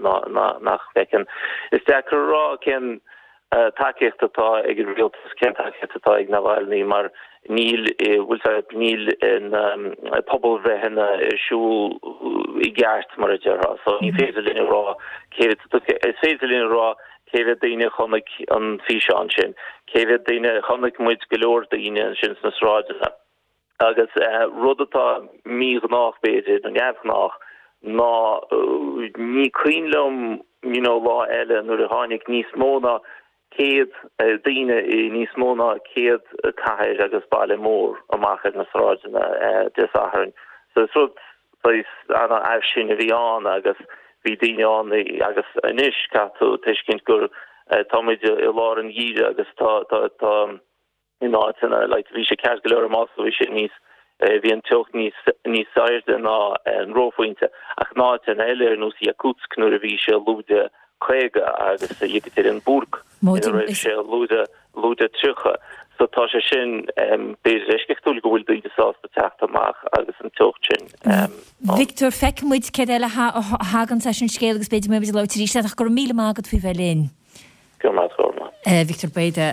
bhfeiceann. Is deacair a rá cén tacaíocht atá ag an rialtas, cén tacaíocht atá ag Navalny mar níl, bhfuil fhios agat, níl na pobalbhreitheanna ar siúl i gceart mar a déarfá. So ní féidir linn a rá cé, is féidir linn a rá Cé mhéad daoine a chonaic an físeán sin? Cé mhéad daoine, chonaic muid go leor daoine ansin sna sráideanna. Agus rud atá míghnách b'fhéidir, nó neamhghnách, ná ní cuimhin liom you know lá eile nuair a tháinig níos mó ná 100 daoine i níos mó ná 100 cathair agus baile mór amach ar na sráideanna Dé Sathairn. So is rud saghas an-fhairsing a bhí ann agus bhí daoine ann agus anois caithfidh tú tuiscint gur tá muid i lár an gheimhridh agus tá tá tá in áiteanna like bhí sé ceart go leor i Moscow bhí sé níos bhí an teocht níos níos airde ná an reophointe ach in áiteanna eile ar nós Yakutsk nuair a bhí sé lúide 50 agus Yekaterinburg ina raibh sé lúide lúide 30. So tá sé sin b'fhéidir eisceachtúil go bhfuil daoine sásta teacht amach agus an teocht sin ann. Victor, feicfidh muid céard eile a thagann as an scéal agus b'fhéidir go mbeidh muid ag labhairt arís leat ach go raibh míle maith agat faoi bheith linn. Go raibh maith agat, go raibh maith. Victor Bayda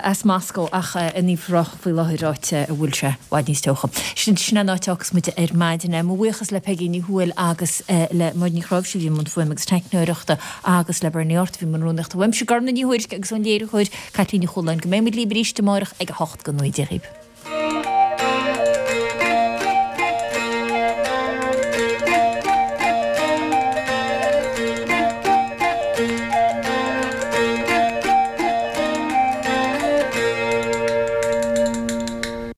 as Moscó ach in Uíbh Ráthach faoi láthair, áit a bhfuil sé i bhfad níos teocha. Sin sin an áit a fhágfas muid ar maidin. Mo bhuíochas le Peigí Ní Thuathail agus le Máire Ní Chráimhse a bhí i mbun fuaime agus teicneoireachta agus le Bernie Art a bhí i mbun rúnaíochta. Uaimse, Gormfhlaith Ní Thuairisg agus ón léiritheoir Caitlín Ní Chualáin. Go mbeidh muid libh arís amárach ag 8 go 9 Dia dhaoibh.